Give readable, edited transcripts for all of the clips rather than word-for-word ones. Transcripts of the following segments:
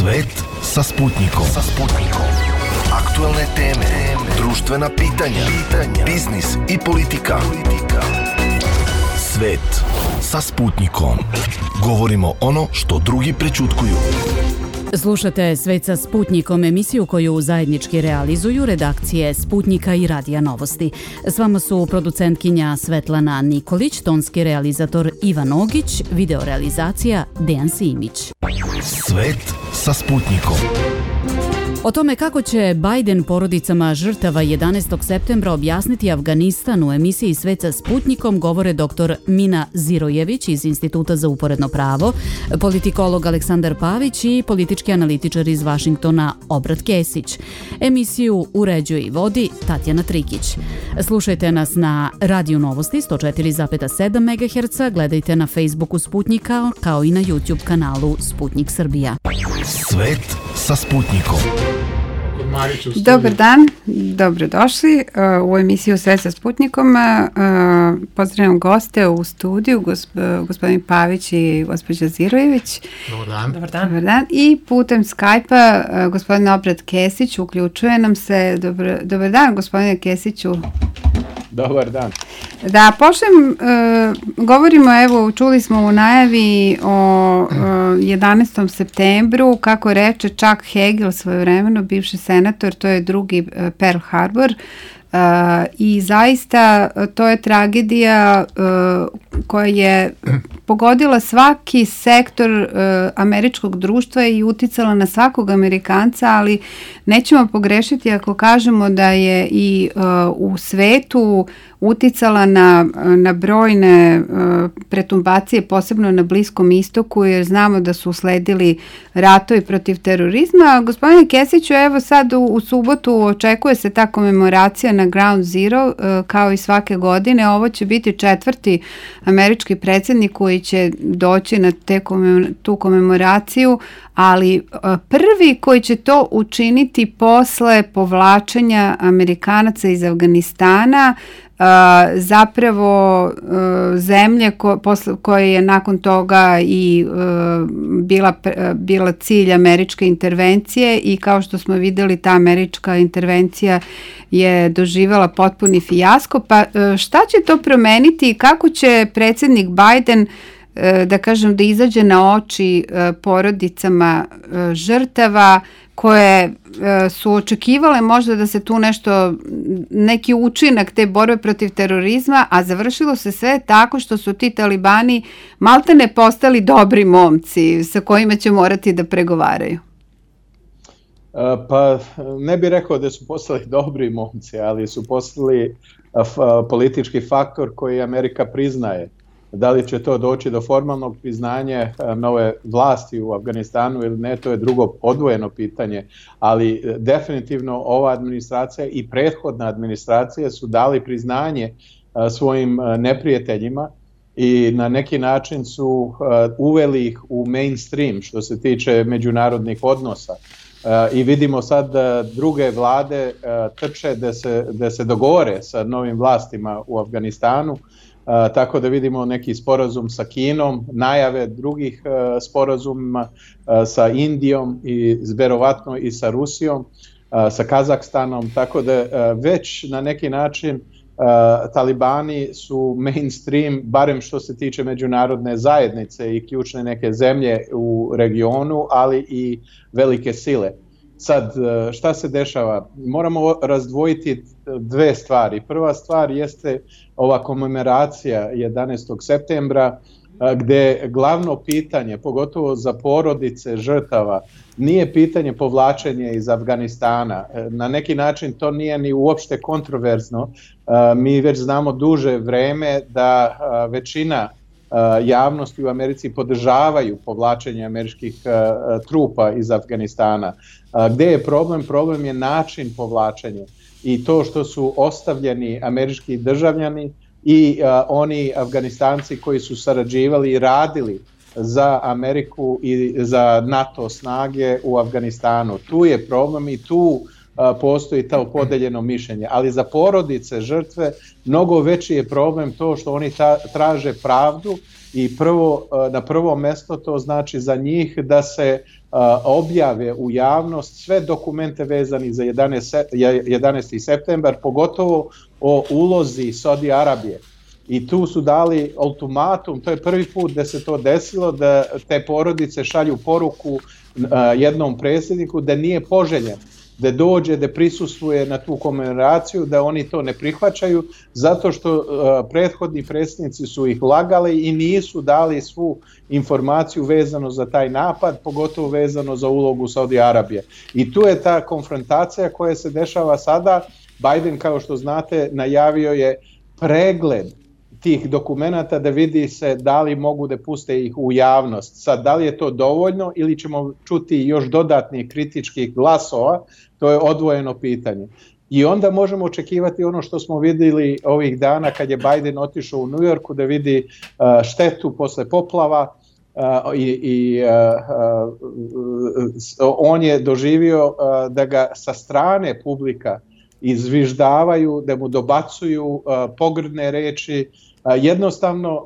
Svet sa Sputnikom. Aktualne teme, društvena pitanja, biznis i politika. Svet sa Sputnikom. Govorimo ono što drugi prećutkuju. Slušate Svet sa Sputnikom, emisiju koju zajednički realizuju redakcije Sputnika i Radija Novosti. S vama su producentkinja Svetlana Nikolić, tonski realizator Ivan Ogić, videorealizacija Dejan Simić. Svet sa Sputnikom. O tome kako će Biden porodicama žrtava 11. septembra objasniti Afganistan u emisiji Svet sa Sputnikom govore dr. Mina Zirojević iz Instituta za uporedno pravo, politikolog Aleksandar Pavić i politički analitičar iz Vašingtona Obrat Kesić. Emisiju uređuje i vodi Tatjana Trikić. Slušajte nas na Radiju Novosti 104,7 MHz, gledajte na Facebooku Sputnika kao i na YouTube kanalu Sputnik Srbija. Svet sa Sputnikom. Dobar dan, dobrodošli u emisiju Svet sa Sputnikom. Pozdravljam goste u studiju, gospodin Pavić i gospođa Zirojević. Dobar dan. I putem Skype-a gospodin Obrat Kesić uključuje nam se. Dobar dan, gospodine Kesiću. Dobar dan. Da počnem, govorimo, evo, čuli smo u najavi o 11. septembru, kako reče Chuck Hagel svojevremeno, bivši senator, to je drugi Pearl Harbor. I zaista to je tragedija koja je pogodila svaki sektor američkog društva i uticala na svakog Amerikanca, ali nećemo pogrešiti ako kažemo da je i u svetu uticala na brojne pretumbacije, posebno na Bliskom istoku, jer znamo da su usledili ratovi protiv terorizma. Gospodine Kesiću, evo sad u subotu očekuje se ta komemoracija na Ground Zero, kao i svake godine. Ovo će biti 4. američki predsjednik koji će doći na tu komemoraciju, ali prvi koji će to učiniti posle povlačenja Amerikanaca iz Afganistana, zapravo zemlje koja je nakon toga i bila cilj američke intervencije, i kao što smo vidjeli, ta američka intervencija je doživjela potpuni fijasko. Pa šta će to promeniti i kako će predsjednik Biden da izađe na oči porodicama žrtava koje su očekivale možda da se tu neki učinak te borbe protiv terorizma, a završilo se sve tako što su ti talibani maltene postali dobri momci sa kojima će morati da pregovaraju. Pa ne bih rekao da su postali dobri momci, ali su postali politički faktor koji Amerika priznaje. Da li će to doći do formalnog priznanja nove vlasti u Afganistanu ili ne, to je drugo odvojeno pitanje, ali definitivno ova administracija i prethodna administracija su dali priznanje svojim neprijateljima i na neki način su uveli ih u mainstream što se tiče međunarodnih odnosa. I vidimo sad da druge vlade trče da se dogovore sa novim vlastima u Afganistanu. Tako da vidimo neki sporazum sa Kinom, najave drugih sporazuma sa Indijom i verovatno i sa Rusijom, sa Kazahstanom, tako da već na neki način talibani su mainstream, barem što se tiče međunarodne zajednice i ključne neke zemlje u regionu, ali i velike sile. Sad, šta se dešava? Moramo razdvojiti dve stvari. Prva stvar jeste ova komemoracija 11. septembra, gde glavno pitanje, pogotovo za porodice žrtava, nije pitanje povlačenja iz Afganistana. Na neki način to nije ni uopšte kontroverzno. Mi već znamo duže vreme da većina javnosti u Americi podržavaju povlačenje američkih trupa iz Afganistana. Gde je problem? Problem je način povlačenja i to što su ostavljeni američki državljani i oni Afganistanci koji su sarađivali i radili za Ameriku i za NATO snage u Afganistanu. Tu je problem i tu postoji to podeljeno mišljenje, ali za porodice žrtve mnogo veći je problem to što oni traže pravdu i na prvo mesto to znači za njih da se objave u javnost sve dokumente vezani za 11. septembar, pogotovo o ulozi Saudi Arabije. I tu su dali ultimatum, to je prvi put da se to desilo, da te porodice šalju poruku jednom predsjedniku da nije poželjen, da dođe, da prisustvuje na tu komemoraciju, da oni to ne prihvaćaju, zato što prethodni predsjednici su ih lagali i nisu dali svu informaciju vezano za taj napad, pogotovo vezano za ulogu Saudi Arabije. I tu je ta konfrontacija koja se dešava sada. Biden, kao što znate, najavio je pregled tih dokumenata da vidi se da li mogu da puste ih u javnost. Sad, da li je to dovoljno ili ćemo čuti još dodatnih kritičkih glasova, to je odvojeno pitanje. I onda možemo očekivati ono što smo vidjeli ovih dana kad je Biden otišao u New Yorku da vidi štetu posle poplava i on je doživio da ga sa strane publika izviždavaju, da mu dobacuju pogrdne reči. Jednostavno,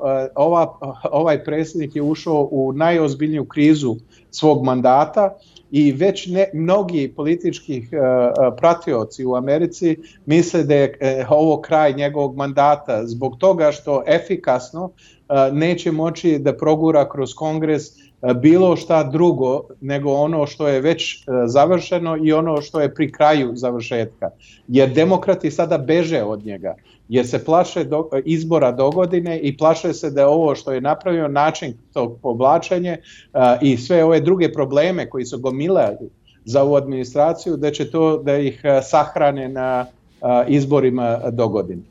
ovaj predsjednik je ušao u najozbiljniju krizu svog mandata i već mnogi politički pratioci u Americi misle da je ovo kraj njegovog mandata zbog toga što efikasno neće moći da progura kroz Kongres bilo šta drugo nego ono što je već završeno i ono što je pri kraju završetka. Jer demokrati sada beže od njega, jer se plaše izbora dogodine i plaše se da ovo što je napravio način tog povlačenja i sve ove druge probleme koji su gomilali za ovu administraciju, da će to da ih sahrane na izborima dogodine.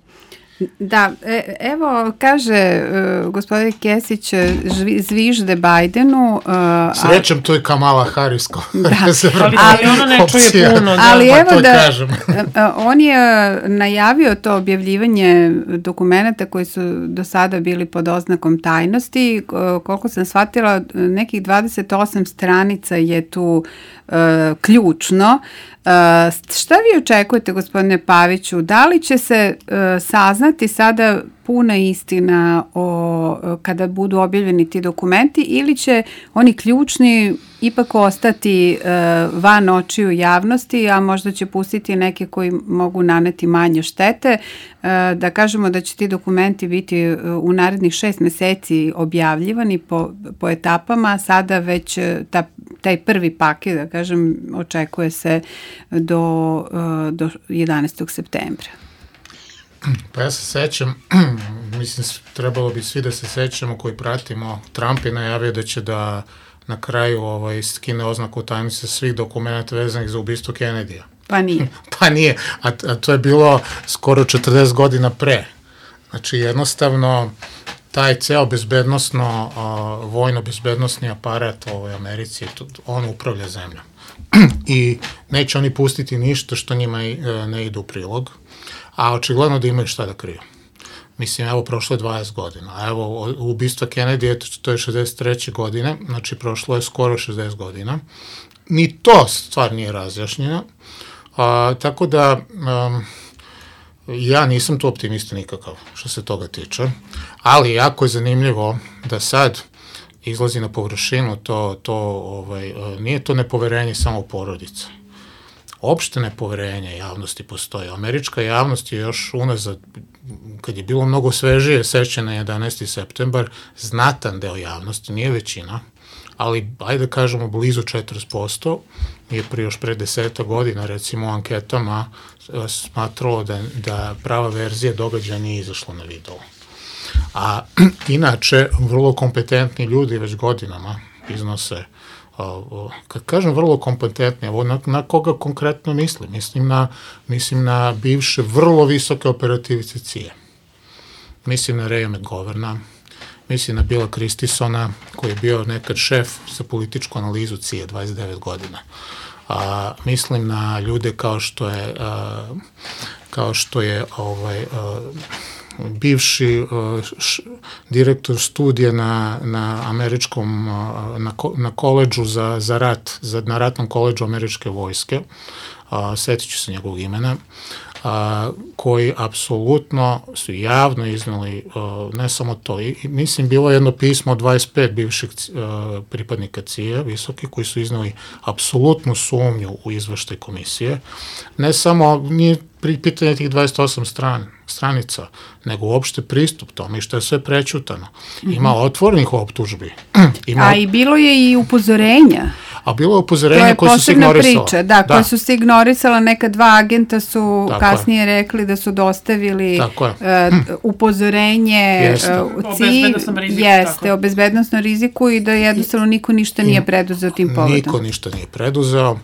Da, evo kaže gospodin Kesić, zvižde Bidenu. Srećem to je Kamala Harris. Ali ona ne čuje puno. Ali evo da, on je najavio to objavljivanje dokumenata koji su do sada bili pod oznakom tajnosti. Koliko sam shvatila, nekih 28 stranica je tu ključno. Šta vi očekujete, gospodine Paviću? Da li će se saznati sada puna istina kada budu objavljeni ti dokumenti ili će oni ključni ipak ostati van očiju javnosti, a možda će pustiti neke koji mogu naneti manje štete? Da kažemo da će ti dokumenti biti u narednih 6 meseci objavljivani po etapama, sada već taj prvi paket, da kažem, očekuje se do 11. septembra. Pa ja se sećam, mislim, trebalo bi svi da se sećamo koji pratimo, Trump je najavio da će da na kraju skine oznaku tajnosti svih dokumenta vezanih za ubistvo Kennedyja. Pa nije. Pa nije, a to je bilo skoro 40 godina pre. Znači jednostavno taj ceo bezbednosno, vojno-bezbednosni aparat u ovoj Americi, on upravlja zemljom. I neće oni pustiti ništa što njima ne ide u prilog, a očigledno da imaju šta da kriju. Mislim, evo, prošlo je 20 godina, a evo, ubistva Kennedy, to je 63. godine, znači prošlo je skoro 60 godina. Ni to stvar nije razjašnjena, tako da ja nisam tu optimista nikakav što se toga tiče, ali jako je zanimljivo da sad izlazi na površinu nije to nepoverenje samo u porodicu. Opšte nepoverenje javnosti postoji. Američka javnost je još unazad, kad je bilo mnogo svežije sećanje na 11. septembar, znatan deo javnosti, nije većina, ali, ajde da kažemo, blizu 40% je još pre 10 godina, recimo, u anketama smatralo da prava verzija događaja nije izašla na video. A inače, vrlo kompetentni ljudi već godinama iznose, kad kažem vrlo kompetentni, na koga konkretno mislim? Mislim na bivše vrlo visoke operativce CIA. Mislim na Raya McGoverna, mislim na Billa Christisona, koji je bio nekad šef za političku analizu CIA 29 godina. Mislim na ljude kao što je bivši direktor studija na američkom, na koledžu za rat, na ratnom koledžu američke vojske, setit ću se njegovog imena, koji apsolutno su javno iznali, ne samo to, i mislim bilo jedno pismo od 25 bivših pripadnika CIA visoki koji su iznali apsolutnu sumnju u izveštaj komisije, ne samo nije pitanje tih 28 stranica, nego uopšte pristup tome i što je sve prećutano. Ima otvorenih optužbi. A i bilo je i upozorenja. A bilo je upozorenja koje su se ignorisala. Priča, koje su se ignorisala. Neka 2 agenta su kasnije rekli da su dostavili upozorenje o bezbednosnom riziku i da jednostavno niko ništa nije preduzeo tim povodom. Niko ništa nije preduzeo.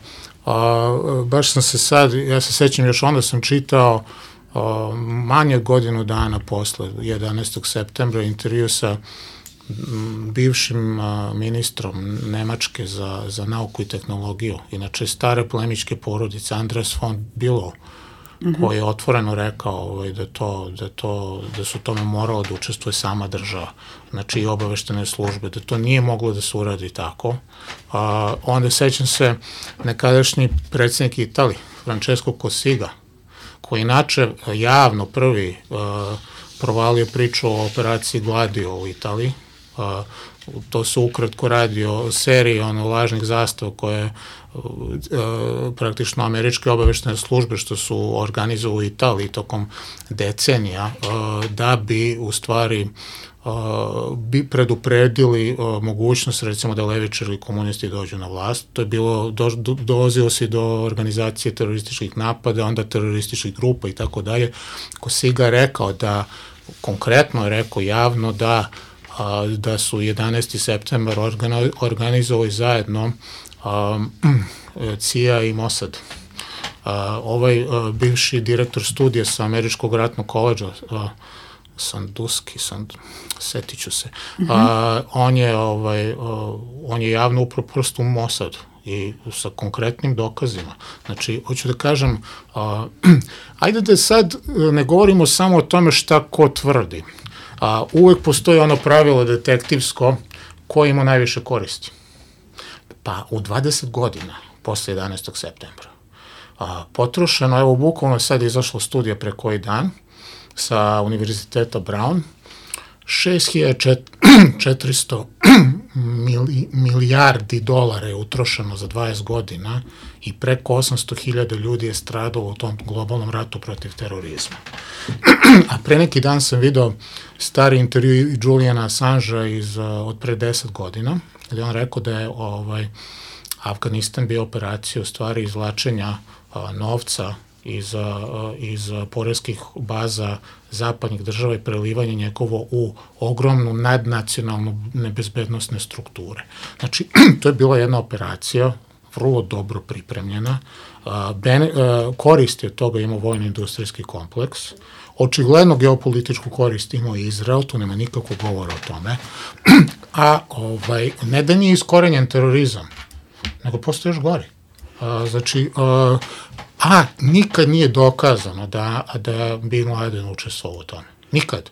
Baš sam se sad, ja se sećam još onda sam čitao manje godinu dana posle 11. septembra intervju sa bivšim ministrom Nemačke za nauku i tehnologiju, inače stare plemičke porodice, Andreas von Bülow, koji je otvoreno rekao da su tome moralo da učestvuje sama država, znači i obaveštene službe, da to nije moglo da se uradi tako. Onda sećam se nekadašnji predsjednik Italije, Francesco Cossiga, koji inače javno prvi provalio priču o operaciji Gladio u Italiji. To se ukratko radi o seriji lažnih zastava koje praktično američke obaveštene službe što su organizovali u Italiji tokom decenija da bi u stvari predupredili mogućnost recimo da levičari ili komunisti dođu na vlast. To je bilo, dolazilo se do organizacije terorističkih napada, onda terorističkih grupa i tako dalje. Cossiga je rekao da, konkretno je rekao javno da su 11. septembar organizovali zajedno CIA i Mossad. Ovaj bivši direktor studija sa Američkog ratnog koledža, Sanduski, setit ću se, on je javno upravo prst u Mossad i sa konkretnim dokazima. Znači, hoću da kažem, ajde da sad ne govorimo samo o tome šta ko tvrdi. Uvek postoji ono pravilo detektivsko ko ima najviše koristi. Pa u 20 godina posle 11. septembra potrošeno, evo bukvalno sad je izašla studija pre koji dan sa Univerziteta Brown, 6.400 milijardi dolara je utrošeno za 20 godina i preko 800.000 ljudi je stradalo u tom globalnom ratu protiv terorizma. A pre neki dan sam video stari intervju Juliana Assangea od pre 10 godina, gde on rekao da je Afganistan bio operacija u stvari izvlačenja novca iz poreskih baza zapadnih država i prelivanje njegovo u ogromnu nadnacionalnu nebezbednostne strukture. Znači, to je bila jedna operacija vrlo dobro pripremljena. Koristi od toga imao vojno-industrijski kompleks. Očigledno geopolitičku korist imao i Izrael, tu nema nikakvog govora o tome. A ne da nije iskorenjen terorizam, nego postoje još gori. Znači, nikad nije dokazano da Bin Laden učestvovao u tome. Nikad.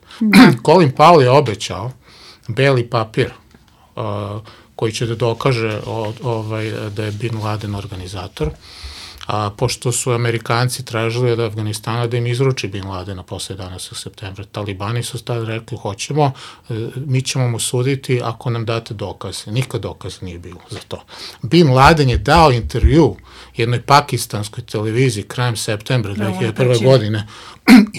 Colin Powell je obećao beli papir koji će da dokaže da je Bin Laden organizator, pošto su Amerikanci tražili od Afganistana da im izruči Bin Ladena posle 11. septembra. Talibani su tada rekli, hoćemo, mi ćemo mu suditi ako nam date dokaze. Nikad dokaz nije bilo za to. Bin Laden je dao intervju jednoj pakistanskoj televiziji krajem septembra 2001. godine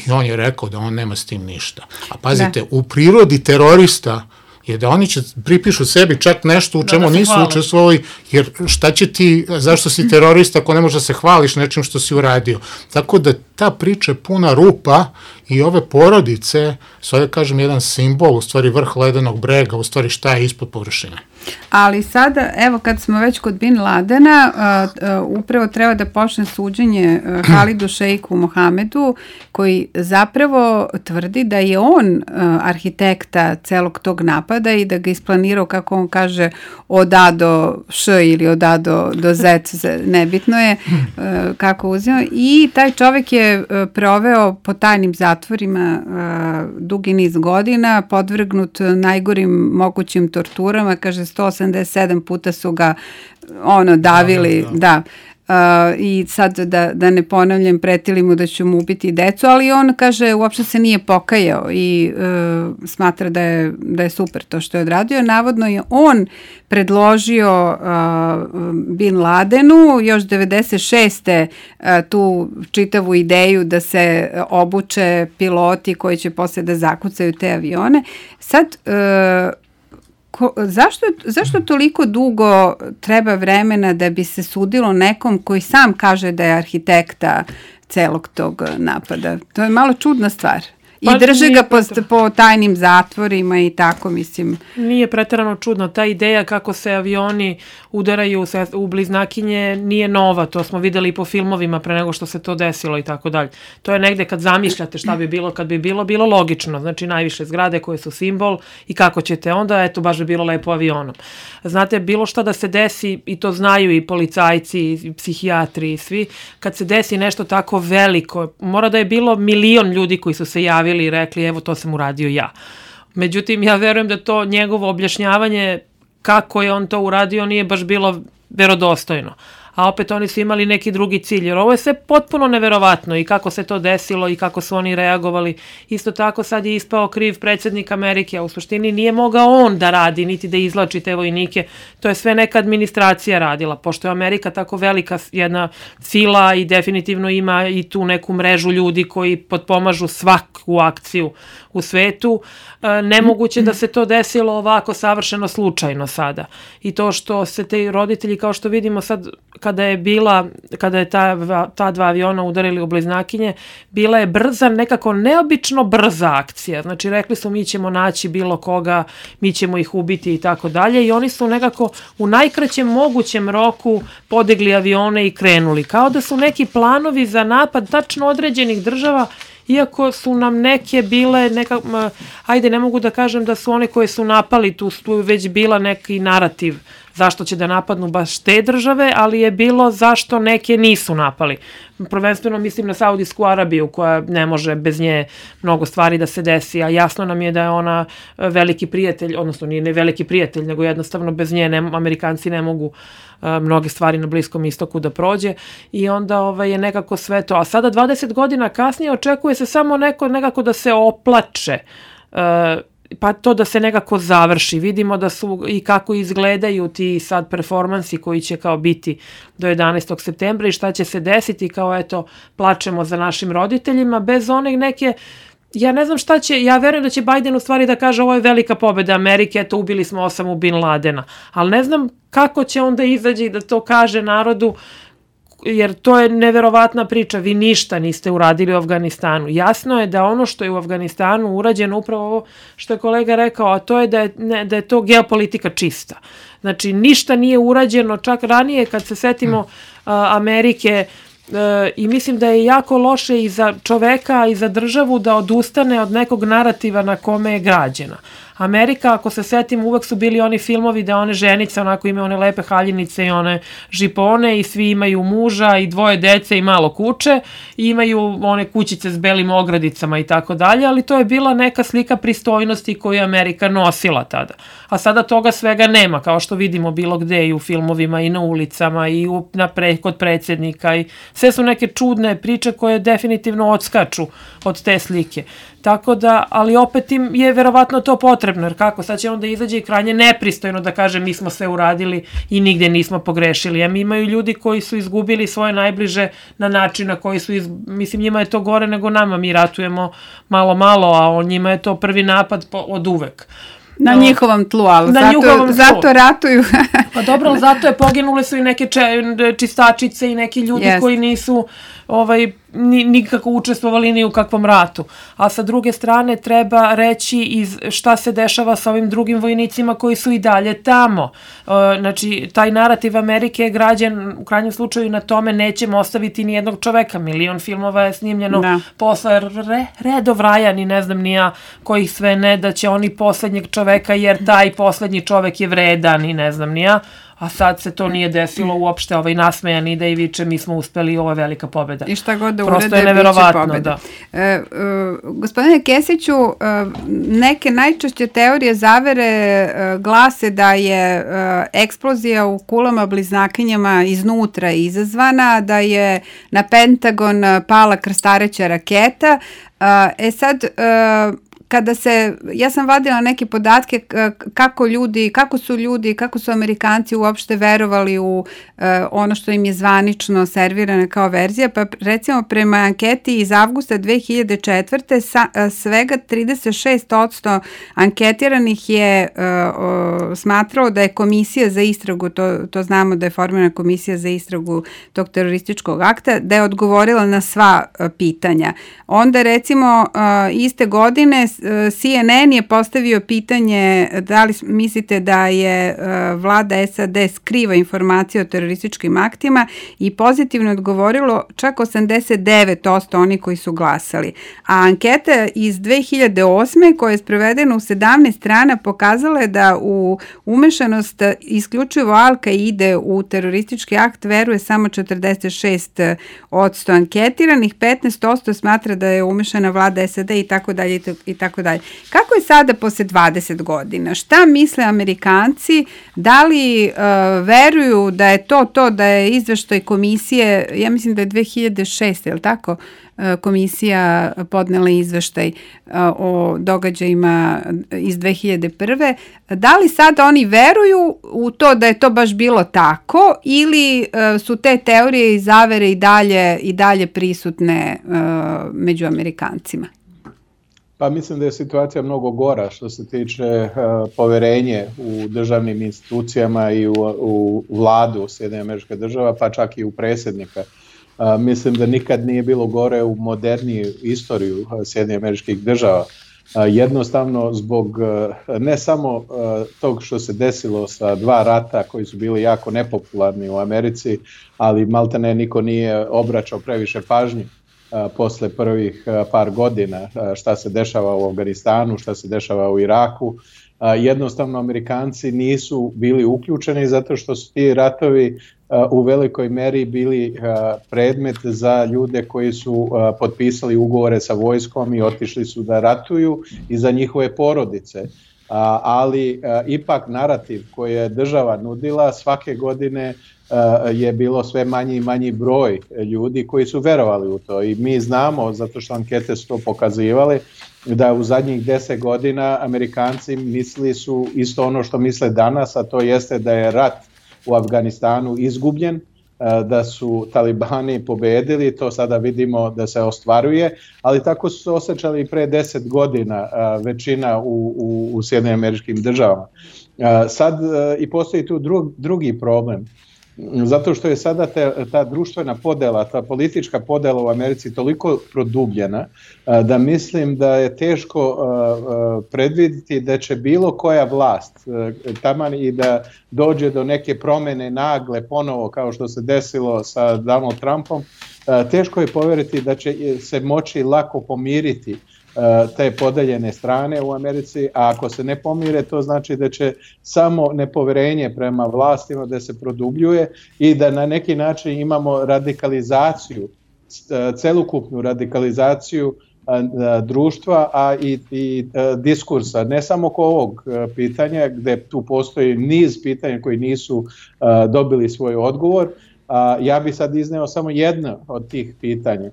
i on je rekao da on nema s tim ništa. A pazite, u prirodi terorista je da oni će pripišu sebi čak nešto u čemu nisu učestvovali, jer šta će ti, zašto si terorista ako ne možeš da se hvališ nečim što si uradio. Tako da ta priča je puna rupa i ove porodice su, da kažem, jedan simbol, u stvari vrh ledenog brega, u stvari šta je ispod površine. Ali sada, evo kad smo već kod Bin Ladena, upravo treba da počne suđenje Halidu Šeiku Mohamedu, koji zapravo tvrdi da je on arhitekta celog tog napada i da ga isplanirao, kako on kaže, od A do Š ili od A do Z, nebitno je kako uzeo. I taj čovek je proveo po tajnim zatvorima dugi niz godina, podvrgnut najgorim mogućim torturama, kaže 187 puta su ga davili, i sad da ne ponavljam, pretili mu da ću mu ubiti decu, ali on kaže uopšte se nije pokajao i smatra da je super to što je odradio. Navodno je on predložio Bin Ladenu još 96. Tu čitavu ideju da se obuče piloti koji će posle da zakucaju te avione. Sad, zašto toliko dugo treba vremena da bi se sudilo nekom koji sam kaže da je arhitekta celog tog napada? To je malo čudna stvar. I drže ga po tajnim zatvorima i tako, mislim. Nije preterano čudno. Ta ideja kako se avioni udaraju u bliznakinje nije nova. To smo videli i po filmovima pre nego što se to desilo i tako dalje. To je negde kad zamišljate šta bi bilo kad bi bilo logično. Znači najviše zgrade koje su simbol i kako ćete onda, eto baš bi bilo lepo avionom. Znate, bilo šta da se desi, i to znaju i policajci, i psihijatri i svi, kad se desi nešto tako veliko, mora da je bilo 1.000.000 ljudi koji su se javili i rekli evo to sam uradio ja. Međutim, ja verujem da to njegovo objašnjavanje kako je on to uradio nije baš bilo verodostojno. A opet oni su imali neki drugi cilj, jer ovo je sve potpuno neverovatno i kako se to desilo i kako su oni reagovali. Isto tako sad je ispao kriv predsjednik Amerike, a u suštini nije mogao on da radi, niti da izvlači te vojnike. To je sve neka administracija radila, pošto je Amerika tako velika jedna sila i definitivno ima i tu neku mrežu ljudi koji potpomažu svaku akciju u svetu. Nemoguće da se to desilo ovako savršeno slučajno sada. I to što se te roditelji, kao što vidimo sad, kada je ta dva aviona udarili u bliznakinje, bila je brza, nekako neobično brza akcija. Znači rekli su mi ćemo naći bilo koga, mi ćemo ih ubiti i tako dalje i oni su nekako u najkraćem mogućem roku podigli avione i krenuli. Kao da su neki planovi za napad tačno određenih država, iako su nam neke bile, ajde ne mogu da kažem da su one koje su napali, tu već bila neki narativ zašto će da napadnu baš te države, ali je bilo zašto neke nisu napali. Prvenstveno mislim na Saudijsku Arabiju koja ne može bez nje mnogo stvari da se desi, a jasno nam je da je ona veliki prijatelj, odnosno nije ne veliki prijatelj, nego jednostavno bez nje Amerikanci ne mogu mnoge stvari na Bliskom istoku da prođe i onda je nekako sve to. A sada 20 godina kasnije očekuje se samo nekako da se oplače, pa to da se nekako završi. Vidimo da su i kako izgledaju ti sad performansi koji će kao biti do 11. septembra i šta će se desiti, kao eto plačemo za našim roditeljima bez one neke. Ja ne znam šta će, ja verujem da će Biden u stvari da kaže ovo je velika pobeda Amerike, eto ubili smo Osamu Bin Ladena, ali ne znam kako će onda izaći i da to kaže narodu, jer to je neverovatna priča, vi ništa niste uradili u Afganistanu. Jasno je da ono što je u Afganistanu urađeno, upravo ovo što je kolega rekao, a to je da je to geopolitika čista. Znači ništa nije urađeno, čak ranije kad se setimo Amerike, i mislim da je jako loše i za čoveka i za državu da odustane od nekog narativa na kome je građena. Amerika, ako se setim, uvek su bili oni filmovi da one ženice onako imaju one lepe haljinice i one žipone i svi imaju muža i 2 dece i malo kuće i imaju one kućice s belim ogradicama i tako dalje, ali to je bila neka slika pristojnosti koju je Amerika nosila tada. A sada toga svega nema, kao što vidimo bilo gde i u filmovima i na ulicama i kod predsjednika i sve su neke čudne priče koje definitivno odskaču od te slike. Tako da, ali opet im je verovatno to potrebno, jer kako, sad će onda izađe i krajnje nepristojno da kaže mi smo sve uradili i nigde nismo pogrešili. Imaju ljudi koji su izgubili svoje najbliže na način na koji su, mislim njima je to gore nego nama, mi ratujemo malo, a njima je to prvi napad od uvek. Na njihovom tlu, ali zato ratuju. Pa dobro, ali zato poginule su i neke čistačice i neki ljudi koji nisu nikako učestvovali ni u kakvom ratu. A sa druge strane treba reći šta se dešava sa ovim drugim vojnicima koji su i dalje tamo. Znači, taj narativ Amerike je građen u krajnjem slučaju na tome nećemo ostaviti ni jednog čoveka. 1.000.000 filmova je snimljeno posle redov Ryan i ne znam ni ja kojih sve ne, da će oni poslednjeg čoveka jer taj poslednji čovek je vredan i ne znam ni ja. a sad se to nije desilo uopšte, nasmejan ide i viče mi smo uspeli, ovo je velika pobjeda. I šta god da prosto urede, je neverovatno, pobjeda. Gospodine Kesiću, neke najčešće teorije zavere glase da je eksplozija u kulama bliznakinjama iznutra izazvana, da je na Pentagon pala krstareća raketa. Ja sam vadila neke podatke kako su Amerikanci uopšte verovali u ono što im je zvanično servirano kao verzija, pa recimo prema anketi iz avgusta 2004. Svega 36% anketiranih je smatralo da je komisija za istragu, to znamo da je formirana komisija za istragu tog terorističkog akta, da je odgovorila na sva pitanja. Onda recimo iste godine CNN je postavio pitanje da li mislite da je vlada SAD skriva informacije o terorističkim aktima i pozitivno odgovorilo čak 89% oni koji su glasali. A anketa iz 2008. koja je sprovedena u 17 strana pokazala je da u umešanost isključivo Al-Kaide u teroristički akt veruje samo 46% anketiranih, 15% smatra da je umešana vlada SAD i tako dalje i tako dalje. Kako je sada posle 20 godina? Šta misle Amerikanci? Da li veruju da je to da je izveštaj komisije, ja mislim da je 2006, je li tako, komisija podnela izveštaj o događajima iz 2001. Da li sada oni veruju u to da je to baš bilo tako ili su te teorije i zavere i dalje prisutne među Amerikancima? Pa mislim da je situacija mnogo gora što se tiče poverenje u državnim institucijama i u vladu Sjedinjenih Američkih Država, pa čak i u predsjednika. Mislim da nikad nije bilo gore u moderniju istoriju Sjedinjenih Američkih Država. Jednostavno zbog ne samo tog što se desilo sa dva rata koji su bili jako nepopularni u Americi, ali maltene niko nije obraćao previše pažnje posle prvih par godina, šta se dešava u Afganistanu, šta se dešava u Iraku. Jednostavno Amerikanci nisu bili uključeni zato što su ti ratovi u velikoj meri bili predmet za ljude koji su potpisali ugovore sa vojskom i otišli su da ratuju i za njihove porodice. Ali ipak narativ koji je država nudila svake godine je bilo sve manji i manji broj ljudi koji su verovali u to i mi znamo, zato što ankete su to pokazivali, da u zadnjih 10 godina Amerikanci mislili su isto ono što misle danas, a to jeste da je rat u Afganistanu izgubljen, da su talibani pobedili, to sada vidimo da se ostvaruje, ali tako su se osjećali i pre 10 godina većina u Sjedinjenim Američkim Državama. Sad i postoji tu drugi problem, zato što je sada ta društvena podela, ta politička podela u Americi toliko produbljena da mislim da je teško predvidjeti da će bilo koja vlast taman i da dođe do neke promjene nagle ponovo kao što se desilo sa Donald Trumpom, teško je povjeriti da će se moći lako pomiriti te podeljene strane u Americi, a ako se ne pomire, to znači da će samo nepoverenje prema vlastima da se produbljuje i da na neki način imamo radikalizaciju, celokupnu radikalizaciju društva, a i diskursa, ne samo oko ovog pitanja, gde tu postoji niz pitanja koji nisu dobili svoj odgovor. Ja bih sad izneo samo jedno od tih pitanja.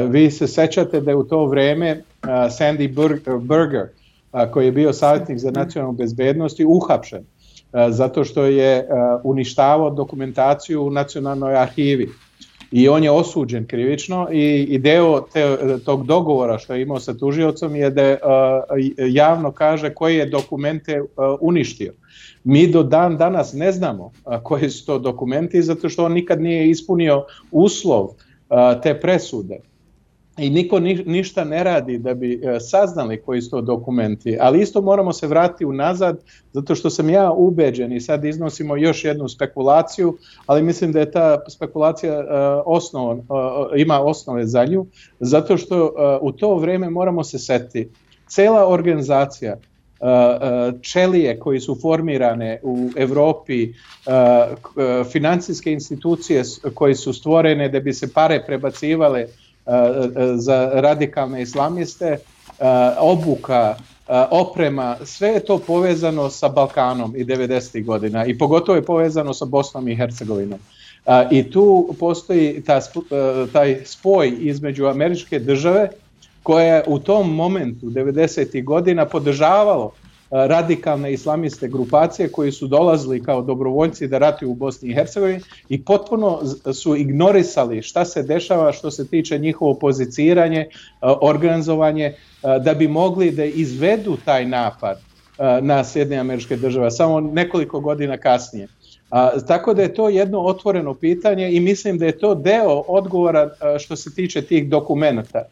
Vi se sećate da je u to vreme Sandy Berger, koji je bio savjetnik za nacionalnu bezbednost, uhapšen zato što je uništavao dokumentaciju u nacionalnoj arhivi. I on je osuđen krivično i deo tog dogovora što je imao sa tužiocom je da javno kaže koje je dokumente uništio. Mi do dan danas ne znamo koji su to dokumenti zato što on nikad nije ispunio uslov te presude. I niko ništa ne radi da bi saznali koji su to dokumenti, ali isto moramo se vratiti unazad, zato što sam ja ubeđen i sad iznosimo još jednu spekulaciju, ali mislim da je ta spekulacija ima osnove za nju, zato što u to vrijeme moramo se setiti. Cela organizacija čelije koji su formirane u Evropi, financijske institucije koje su stvorene da bi se pare prebacivale za radikalne islamiste, obuka, oprema, sve je to povezano sa Balkanom i 90. godina i pogotovo je povezano sa Bosnom i Hercegovinom. I tu postoji taj spoj između američke države koja je u tom momentu 90. godina podržavalo radikalne islamiste grupacije koji su dolazili kao dobrovoljci da ratuju u Bosni i Hercegovini i potpuno su ignorisali šta se dešava što se tiče njihovo poziciranje, organizovanje, da bi mogli da izvedu taj napad na Sjedinjene Američke Države samo nekoliko godina kasnije. Tako da je to jedno otvoreno pitanje i mislim da je to deo odgovora što se tiče tih dokumenata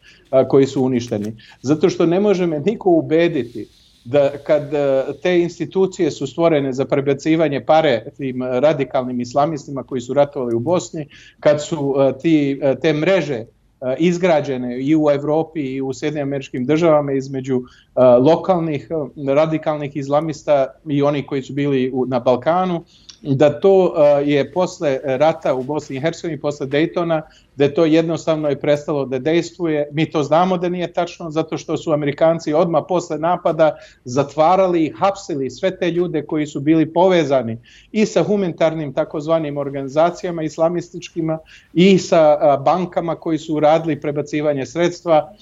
koji su uništeni. Zato što ne može me niko ubediti da kad te institucije su stvorene za prebacivanje pare tim radikalnim islamistima koji su ratovali u Bosni, kad su te mreže izgrađene i u Evropi i u Sjedinjenim Američkim Državama između lokalnih radikalnih islamista i oni koji su bili na Balkanu, da to je posle rata u Bosni i Hercegovini, posle Daytona, da je to jednostavno je prestalo da dejstvuje. Mi to znamo da nije tačno, zato što su Amerikanci odmah posle napada zatvarali i hapsili sve te ljude koji su bili povezani i sa humanitarnim takozvanim organizacijama islamističkima i sa bankama koji su radili prebacivanje sredstva.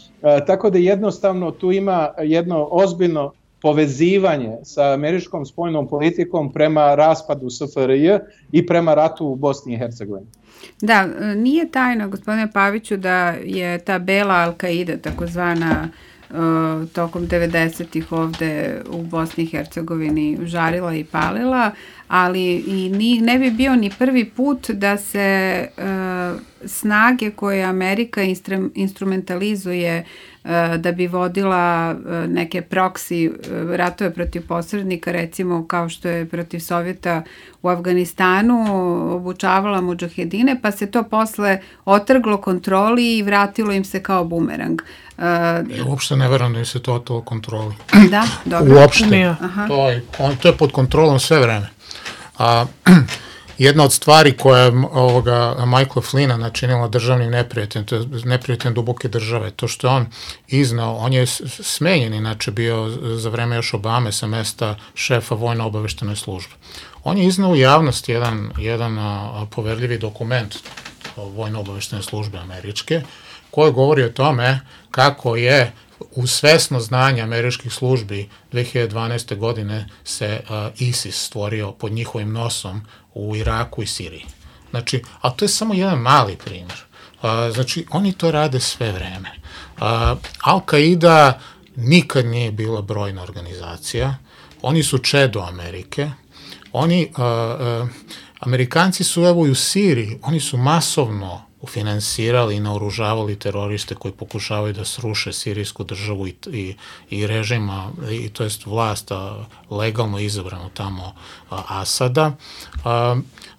Tako da jednostavno tu ima jedno ozbiljno povezivanje sa američkom spoljnom politikom prema raspadu SFRJ i prema ratu u Bosni i Hercegovini. Da, nije tajno, gospodine Paviću, da je ta bela Al-Qaida, takozvana, tokom 90-ih ovde u Bosni i Hercegovini žarila i palila, ali i ne bi bio ni prvi put da se snage koje Amerika instrumentalizuje da bi vodila neke proksi ratove protiv posrednika, recimo kao što je protiv Sovjeta u Afganistanu, obučavala mudžahedine, pa se to posle otrglo kontroli i vratilo im se kao bumerang. Uopšte ne verujem da im se to otrglo kontroli. Da, dobro. Uopšte. To je pod kontrolom sve vreme. Jedna od stvari koja je Michaela Flynna načinila državnim neprijateljem, to je neprijateljem duboke države, to što je on iznao, on je smenjen inače bio za vreme još Obame sa mesta šefa vojno-obaveštene službe. On je iznao u javnost jedan poverljivi dokument vojno-obaveštene službe američke, koji govori o tome kako je uz svesno znanje američkih službi 2012. godine se ISIS stvorio pod njihovim nosom u Iraku i Siriji. Znači, a to je samo jedan mali primjer. Znači, oni to rade sve vreme. Al-Qaida nikad nije bila brojna organizacija. Oni su čedo Amerike. Amerikanci su evo i u Siriji, oni su masovno finansirali i naoružavali teroriste koji pokušavaju da sruše sirijsku državu i režima, to jest vlast legalno izabrano tamo Asada.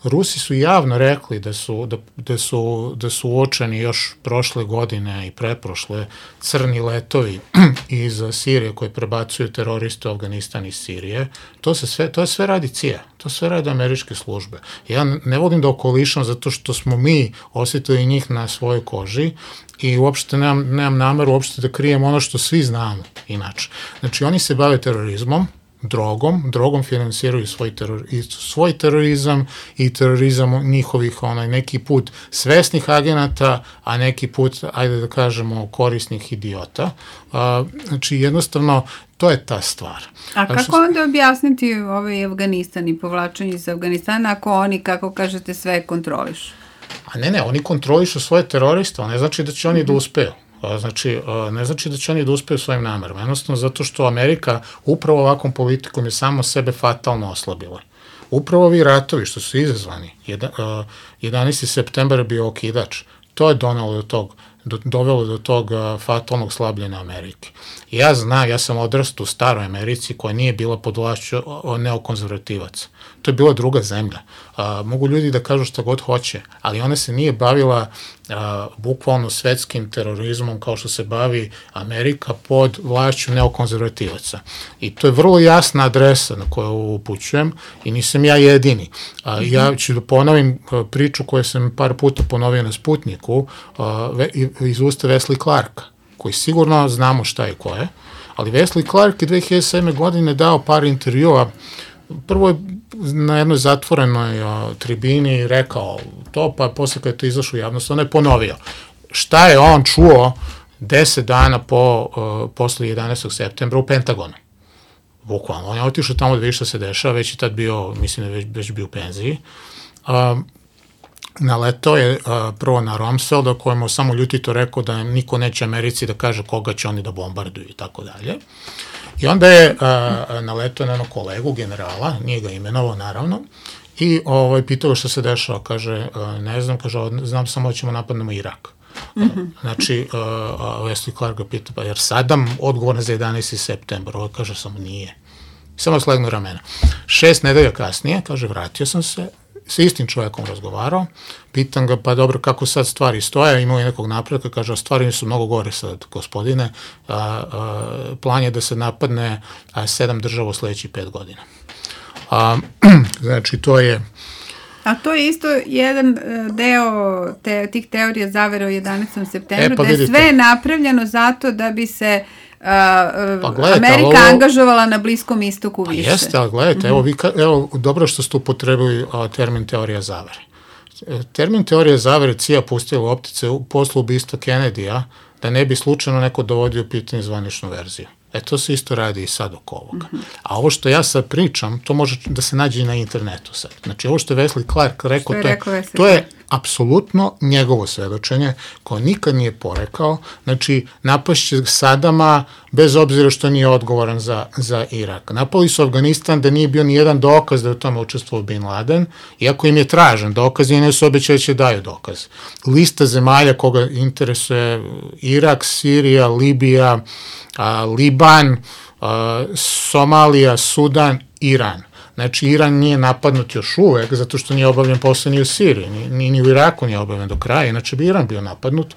Rusi su javno rekli da su uočeni još prošle godine i pretprošle crni letovi iz Sirije koji prebacuju teroriste u Afganistan iz Sirije. To sve radi CIA, to sve radi američke službe. Ja ne volim da okolišam zato što smo mi osjetili njih na svojoj koži i uopšte nemam nameru uopšte da krijem ono što svi znamo inače. Znači oni se bave terorizmom, drogom finansiraju svoj terorizam i terorizam njihovih neki put svesnih agenata, a neki put, ajde da kažemo, korisnih idiota. Znači jednostavno to je ta stvar. A kako onda objasniti ovaj Afganistan i povlačenje iz Afganistana ako oni, kako kažete, sve kontrolišu? A ne, oni kontrolišu svoje teroriste, ne znači da će oni da uspeju. Znači, ne znači da će oni da uspeju svojim namerama. Jednostavno zato što Amerika upravo ovakvom politikom je samo sebe fatalno oslabila. Upravo ovi ratovi što su izazvani, 11. septembar je bio okidač, to je donalo do tog dovelo do tog fatalnog slabljenja Amerike. Ja znam, ja sam odrastao u staroj Americi koja nije bila pod vlašću neokonzervativaca. To je bila druga zemlja. Mogu ljudi da kažu šta god hoće, ali ona se nije bavila bukvalno svetskim terorizmom kao što se bavi Amerika pod vlašću neokonzervativaca. I to je vrlo jasna adresa na koju upućujem i nisam ja jedini. Ja ću da ponovim priču koju sam par puta ponovio na Sputniku iz usta Wesley Clarka, koji sigurno znamo šta je ko je, ali Wesley Clark je 2007. godine dao par intervjua. Prvo je na jednoj zatvorenoj tribini rekao to, pa posle kada je to izašlo u javnost, on je ponovio. Šta je on čuo 10 dana posle 11. septembra u Pentagonu? Bukvalno. On je otišao tamo da vidi šta se dešava, već je tad bio, mislim da je već bio u penziji. Naletao je prvo na Rumsfelda, kojemu samo ljutito rekao da niko neće Americi da kaže koga će oni da bombarduju i tako dalje. I onda je naletao na jednog kolegu, generala, nije ga imenovao naravno, i pitao šta se dešava, kaže, ne znam, kaže, znam samo da ćemo napadnemo Irak. Znači, Wesley Clark ga pita, pa jer Saddam odgovorna za 11. septembar, ovo kaže samo nije. Samo slegnu ramena. 6 nedelja kasnije, kaže, vratio sam se, sa istim čovjekom razgovarao, pitam ga, pa dobro, kako sad stvari stoje, imao je nekog napretka, kaže, stvari su mnogo gore sad, gospodine, plan je da se napadne 7 država u sledećih 5 godina. Znači, to je... A to je isto jedan deo tih teorija zavere o 11. septembru, da je sve napravljeno zato da bi se Amerika angažovala na Bliskom istoku više. Jeste, ali gledajte, evo, dobro što ste upotrebili termin teorija zavere. Termin teorija zavere CIA pustila u optice posle ubistva Kennedy-a da ne bi slučajno neko dovodio pitanje zvaničnu verziju. To se isto radi i sad oko ovoga. A ovo što ja sad pričam, to može da se nađe i na internetu sad. Znači, ovo što je Wesley Clark rekao, to je apsolutno njegovo svedočenje, koje nikad nije porekao. Znači, napašće Sadama, bez obzira što nije odgovoran za Irak. Napali su Afganistan da nije bio ni jedan dokaz da je u tome učestvovao Bin Laden, iako im je tražen dokaz i ne su obećali da će daju dokaz. Lista zemalja koga interesuje Irak, Sirija, Libija, Liban, Somalija, Sudan, Iran. Znači, Iran nije napadnut još uvek, zato što nije obavljen posao ni u Siriji, ni u Iraku nije obavljen do kraja, inače bi Iran bio napadnut.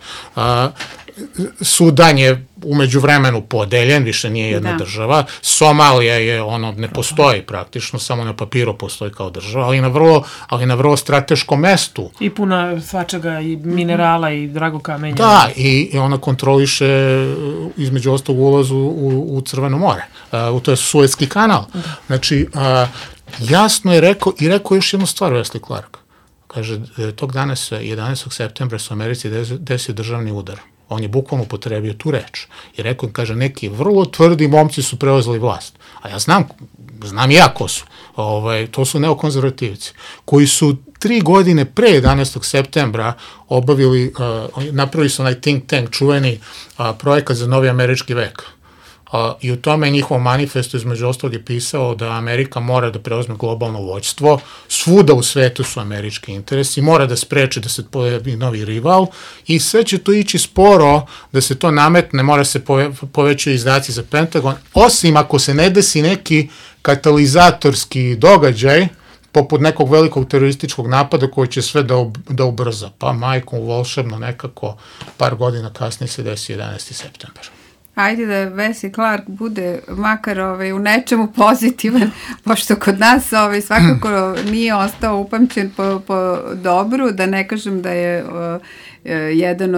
Sudan je umeđu vremenu podeljen, više nije jedna država. Somalija je, ne postoji praktično, samo na papiru postoji kao država, ali na vrlo strateškom mestu. I puna svačega, i minerala, i drago kamenja. Da, i ona kontroliše, između ostalog, ulazu u Crveno more. To je Suetski kanal. Znači, jasno je rekao, i rekao još jednu stvar Wesley Clark. Kaže, tog dana 11. septembra su u Americi desio državni udar. On je bukvalno upotrebio tu reč. I rekao, kaže, neki vrlo tvrdi momci su preuzeli vlast. A ja znam i ja ko su. To su neokonzervativci, koji su 3 godine pre 11. septembra napravili su onaj think tank, čuveni projekat za novi američki vek. I u tome njihov manifestu između ostalog je pisao da Amerika mora da preuzme globalno vođstvo, svuda u svetu su američki interesi, mora da spreči da se pojavi novi rival i sve će to ići sporo da se to nametne, mora se povećaju izdaci za Pentagon, osim ako se ne desi neki katalizatorski događaj, poput nekog velikog terorističkog napada koji će sve da ubrza. Pa majkom volšebno nekako par godina kasnije se desi 11. septembar. Ajde da Wesley Clark bude makar u nečemu pozitivan, pošto kod nas svakako nije ostao upamćen po dobru, da ne kažem da je jedan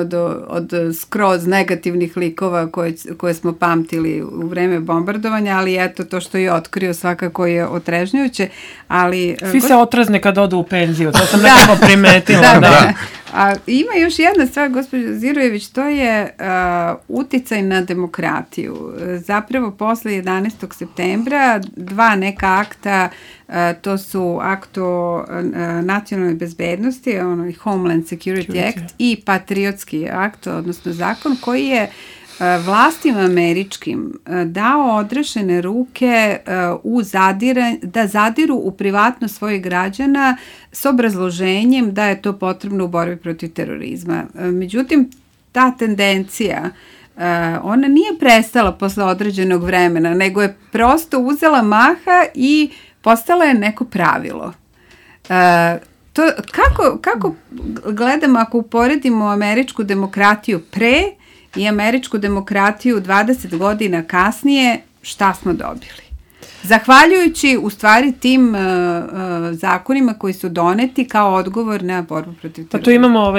od skroz negativnih likova koje smo pamtili u vreme bombardovanja, ali eto to što je otkrio svakako je otrežnjujuće. Svi se otrazne kad odu u penziju, to sam nekako primetila. Da. A ima još jedna stvar, gospođo Zirojević, to je uticaj na demokratiju. Zapravo posle 11. septembra 2 neka akta, to su akt o nacionalnoj bezbednosti, Homeland Security Act i patriotski akt, odnosno zakon koji je vlastima američkim dao odrešene ruke da zadiru u privatnost svojih građana s obrazloženjem da je to potrebno u borbi protiv terorizma. Međutim, ta tendencija ona nije prestala posle određenog vremena, nego je prosto uzela maha i postala je neko pravilo. Kako gledamo ako uporedimo američku demokratiju pre i američku demokratiju 20 godina kasnije, šta smo dobili? Zahvaljujući u stvari tim zakonima koji su doneti kao odgovor na borbu protiv terorizma. Pa tu imamo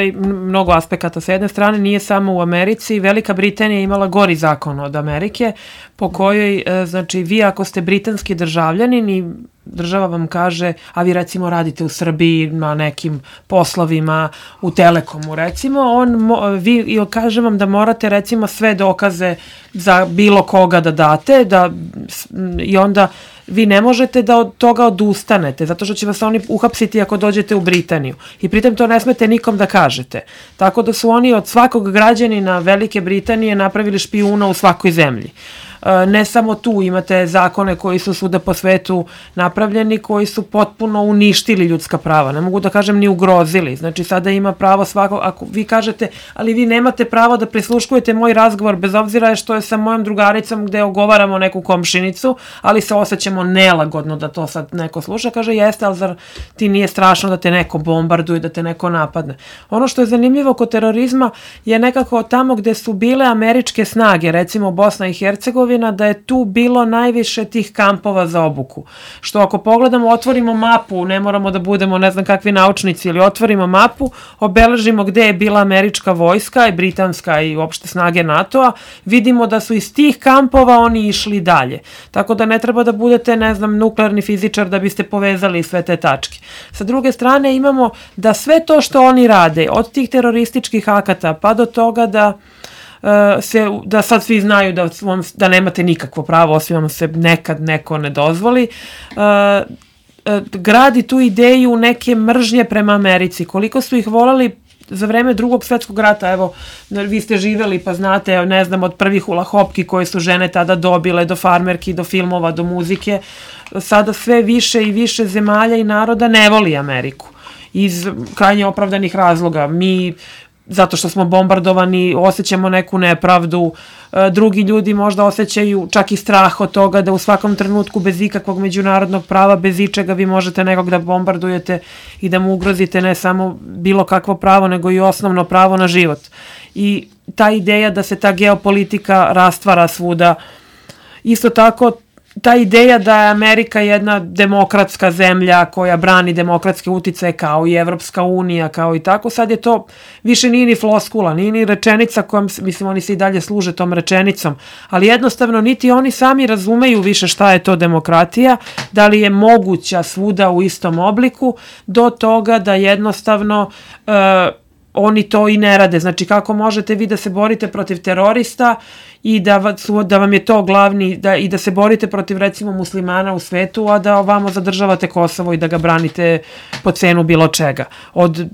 mnogo aspekata. Sa jedne strane nije samo u Americi, Velika Britanija je imala gori zakon od Amerike, po kojoj, znači, vi ako ste britanski državljanin i država vam kaže, a vi recimo radite u Srbiji na nekim poslovima, u Telekomu recimo, vi kaže vam da morate recimo sve dokaze za bilo koga da date i onda vi ne možete da od toga odustanete, zato što će vas oni uhapsiti ako dođete u Britaniju. I pritom to ne smete nikom da kažete. Tako da su oni od svakog građanina Velike Britanije napravili špijuna u svakoj zemlji. Ne samo tu, imate zakone koji su svuda po svetu napravljeni, koji su potpuno uništili ljudska prava, ne mogu da kažem ni ugrozili. Znači sada ima pravo svako, ako vi kažete, ali vi nemate pravo da prisluškujete moj razgovor bez obzira što je sa mojom drugaricom gde ogovaramo neku komšinicu, ali se osjećamo nelagodno da to sad neko sluša, kaže jeste, ali zar ti nije strašno da te neko bombarduje, da te neko napadne. Ono što je zanimljivo kod terorizma je nekako tamo gde su bile američke snage, recimo Bosna i Hercegovina, da je tu bilo najviše tih kampova za obuku. Što ako pogledamo, otvorimo mapu, ne moramo da budemo ne znam kakvi naučnici, ili otvorimo mapu, obeležimo gde je bila američka vojska i britanska i uopšte snage NATO-a, vidimo da su iz tih kampova oni išli dalje. Tako da ne treba da budete, ne znam, nuklearni fizičar da biste povezali sve te tačke. Sa druge strane imamo da sve to što oni rade, od tih terorističkih akata pa do toga da sad svi znaju da nemate nikakvo pravo, osim vam se nekad neko ne dozvoli, gradi tu ideju neke mržnje prema Americi. Koliko su ih volali za vreme Drugog svetskog rata, evo, vi ste živeli pa znate, ne znam, od prvih hula hopki koje su žene tada dobile, do farmerki, do filmova, do muzike, sada sve više i više zemalja i naroda ne voli Ameriku. Iz krajnje opravdanih razloga. Mi zato što smo bombardovani, osjećamo neku nepravdu, drugi ljudi možda osjećaju čak i strah od toga da u svakom trenutku bez ikakvog međunarodnog prava, bez ičega vi možete nekog da bombardujete i da mu ugrozite ne samo bilo kakvo pravo, nego i osnovno pravo na život. I ta ideja da se ta geopolitika rastvara svuda, isto tako ta ideja da je Amerika jedna demokratska zemlja koja brani demokratske uticaje kao i Evropska unija, kao i tako, sad je to više nije ni floskula, nije ni rečenica kojom, mislim, oni se i dalje služe tom rečenicom, ali jednostavno niti oni sami razumeju više šta je to demokratija, da li je moguća svuda u istom obliku, do toga da jednostavno oni to i ne rade. Znači, kako možete vi da se borite protiv terorista i da vam je to glavni, i da se borite protiv, recimo, muslimana u svetu, a da ovamo zadržavate Kosovo i da ga branite po cenu bilo čega. Od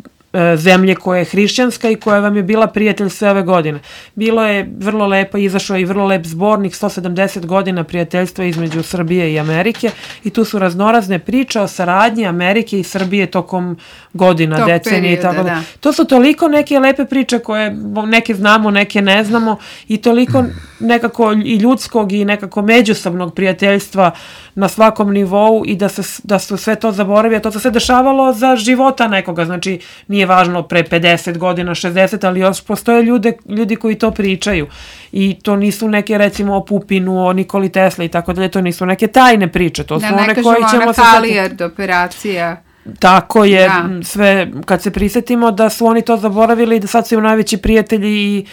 zemlje koja je hrišćanska i koja vam je bila prijatelj sve ove godine. Bilo je vrlo lepo, izašao i vrlo lep zbornik, 170 godina prijateljstva između Srbije i Amerike, i tu su raznorazne priče o saradnji Amerike i Srbije tokom godina, decenije i tako da. To su toliko neke lepe priče koje neke znamo, neke ne znamo, i toliko nekako i ljudskog i nekako međusobnog prijateljstva na svakom nivou, i da su sve to zaboravili, a to se dešavalo za života nekoga, znači nije važno pre 50 godina, 60, ali još postoje ljudi koji to pričaju, i to nisu neke, recimo, o Pupinu, o Nikoli Tesla i tako dalje, to nisu neke tajne priče, to su one koje ćemo se... Da, ne kažemo ona Halijard operacija. Tako je, sve, kad se prisetimo da su oni to zaboravili i da sad su im najveći prijatelji i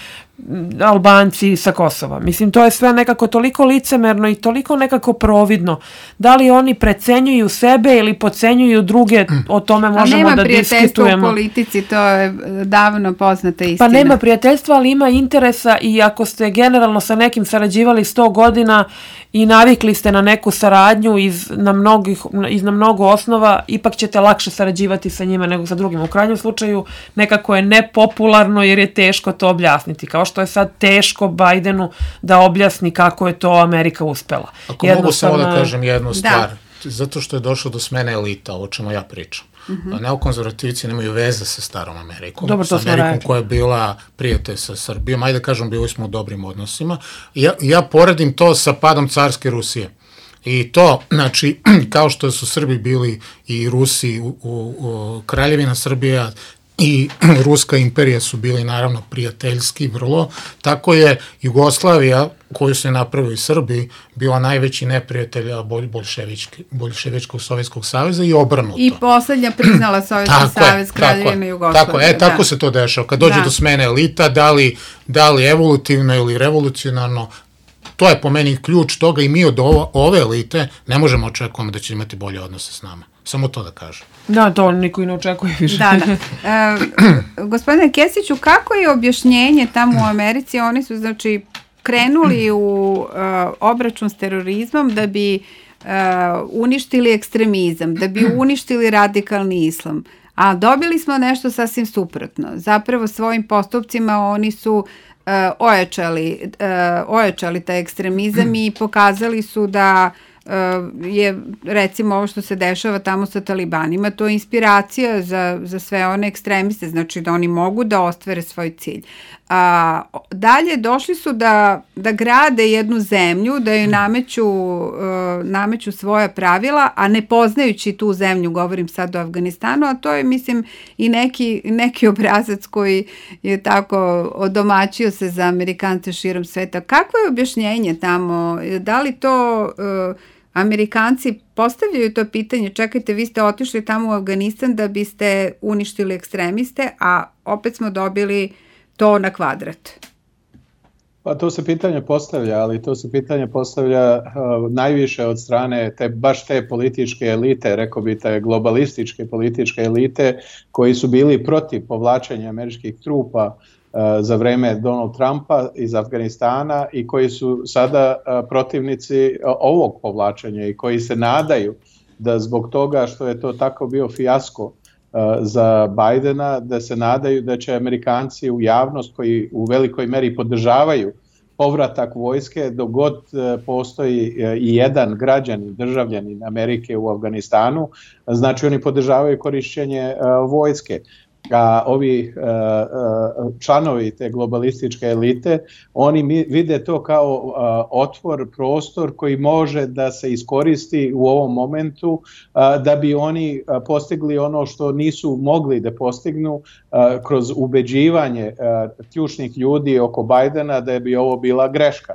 Albanci sa Kosova. Mislim, to je sve nekako toliko licemerno i toliko nekako providno. Da li oni precenjuju sebe ili podcenjuju druge, o tome možemo da diskutujemo. A nema prijateljstva u politici, to je davno poznata istina. Pa nema prijateljstva, ali ima interesa, i ako ste generalno sa nekim sarađivali 100 godina i navikli ste na neku saradnju iz na mnogo osnova, ipak ćete lakše sarađivati sa njima nego sa drugim. U krajnjem slučaju nekako je nepopularno jer je teško to objasniti. Kao što je sad teško Bajdenu da objasni kako je to Amerika uspela. Ako mogu samo da kažem jednu stvar, zato što je došlo do smene elita, o čemu ja pričam. neokonzervativci nemaju veze sa starom Amerikom, Dobro, sa Amerikom koja je bila prijatelj sa Srbijom, ajde da kažem, bili smo u dobrim odnosima. Ja poredim to sa padom carske Rusije. I to, znači, kao što su Srbi bili i Rusi, Kraljevina Srbija i Ruska imperija su bili naravno prijateljski vrlo, tako je Jugoslavija, koju se napravili Srbi, bila najveći neprijatelj Boljševičkog Sovjetskog saveza i obrnuto. I poslednja priznala Sovjetski savez, Kraljevina Jugoslavija. Tako se to dešava. Kad dođe do smene elita, da li evolutivno ili revolucionarno, to je po meni ključ toga i mi od ove elite ne možemo očekujemo da će imati bolje odnose s nama. Samo to da kažem. Da, to niko i ne očekuje više. Da. Gospodine Kesiću, kako je objašnjenje tamo u Americi? Oni su, znači, krenuli u obračun s terorizmom da bi uništili ekstremizam, da bi uništili radikalni islam. A dobili smo nešto sasvim suprotno. Zapravo svojim postupcima oni su ojačali taj ekstremizam i pokazali su da je, recimo, ovo što se dešava tamo sa talibanima, to je inspiracija za sve one ekstremiste, znači da oni mogu da ostvare svoj cilj. Dalje došli su da grade jednu zemlju, da joj nameću svoja pravila, a ne poznajući tu zemlju, govorim sad o Afganistanu, a to je, mislim, i neki obrazac koji je tako odomaćio se za Amerikance širom sveta. Kako je objašnjenje tamo? Da li to Amerikanci postavljaju to pitanje, čekajte, vi ste otišli tamo u Afganistan da biste uništili ekstremiste, a opet smo dobili to na kvadrat? Pa to se pitanje postavlja, ali to se pitanje postavlja najviše od strane baš te političke elite, rekao bi te globalističke političke elite koji su bili protiv povlačenja američkih trupa za vreme Donald Trumpa iz Afganistana i koji su sada protivnici ovog povlačenja i koji se nadaju da zbog toga što je to tako bio fijasko za Bajdena, da se nadaju da će Amerikanci u javnost koji u velikoj meri podržavaju povratak vojske dok god postoji i jedan građanin, državljanin Amerike u Afganistanu, znači oni podržavaju korišćenje vojske. A ovi članovi te globalističke elite, oni vide to kao otvor, prostor koji može da se iskoristi u ovom momentu da bi oni postigli ono što nisu mogli da postignu kroz ubeđivanje ključnih ljudi oko Bajdena da bi ovo bila greška.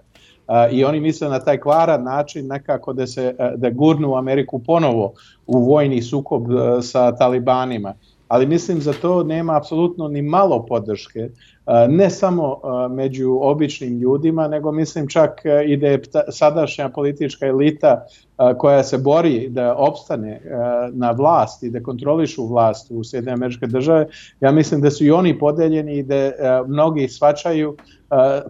I oni misle na taj kvaran način nekako da gurnu Ameriku ponovo u vojni sukob sa talibanima. Ali mislim za to nema apsolutno ni malo podrške, ne samo među običnim ljudima, nego mislim čak i da je sadašnja politička elita koja se bori da opstane na vlast i da kontrolišu vlast u Sjedinjene Američke Države, ja mislim da su i oni podeljeni i da mnogi shvaćaju,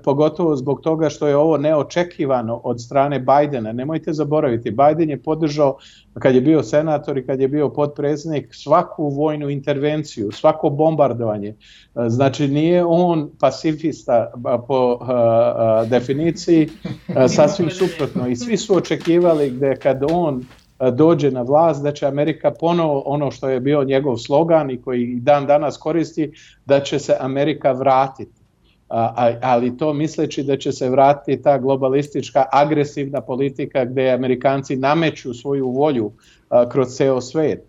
pogotovo zbog toga što je ovo neočekivano od strane Bajdena. Nemojte zaboraviti, Bajden je podržao, kad je bio senator i kad je bio potpredsjednik, svaku vojnu intervenciju, svako bombardovanje. Znači nije on pacifista po definiciji, sasvim suprotno. I svi su očekivali da kad on dođe na vlast, da će Amerika ponovo, ono što je bio njegov slogan i koji dan danas koristi, da će se Amerika vratiti. Ali to misleći da će se vratiti ta globalistička agresivna politika gdje Amerikanci nameću svoju volju kroz ceo svijet.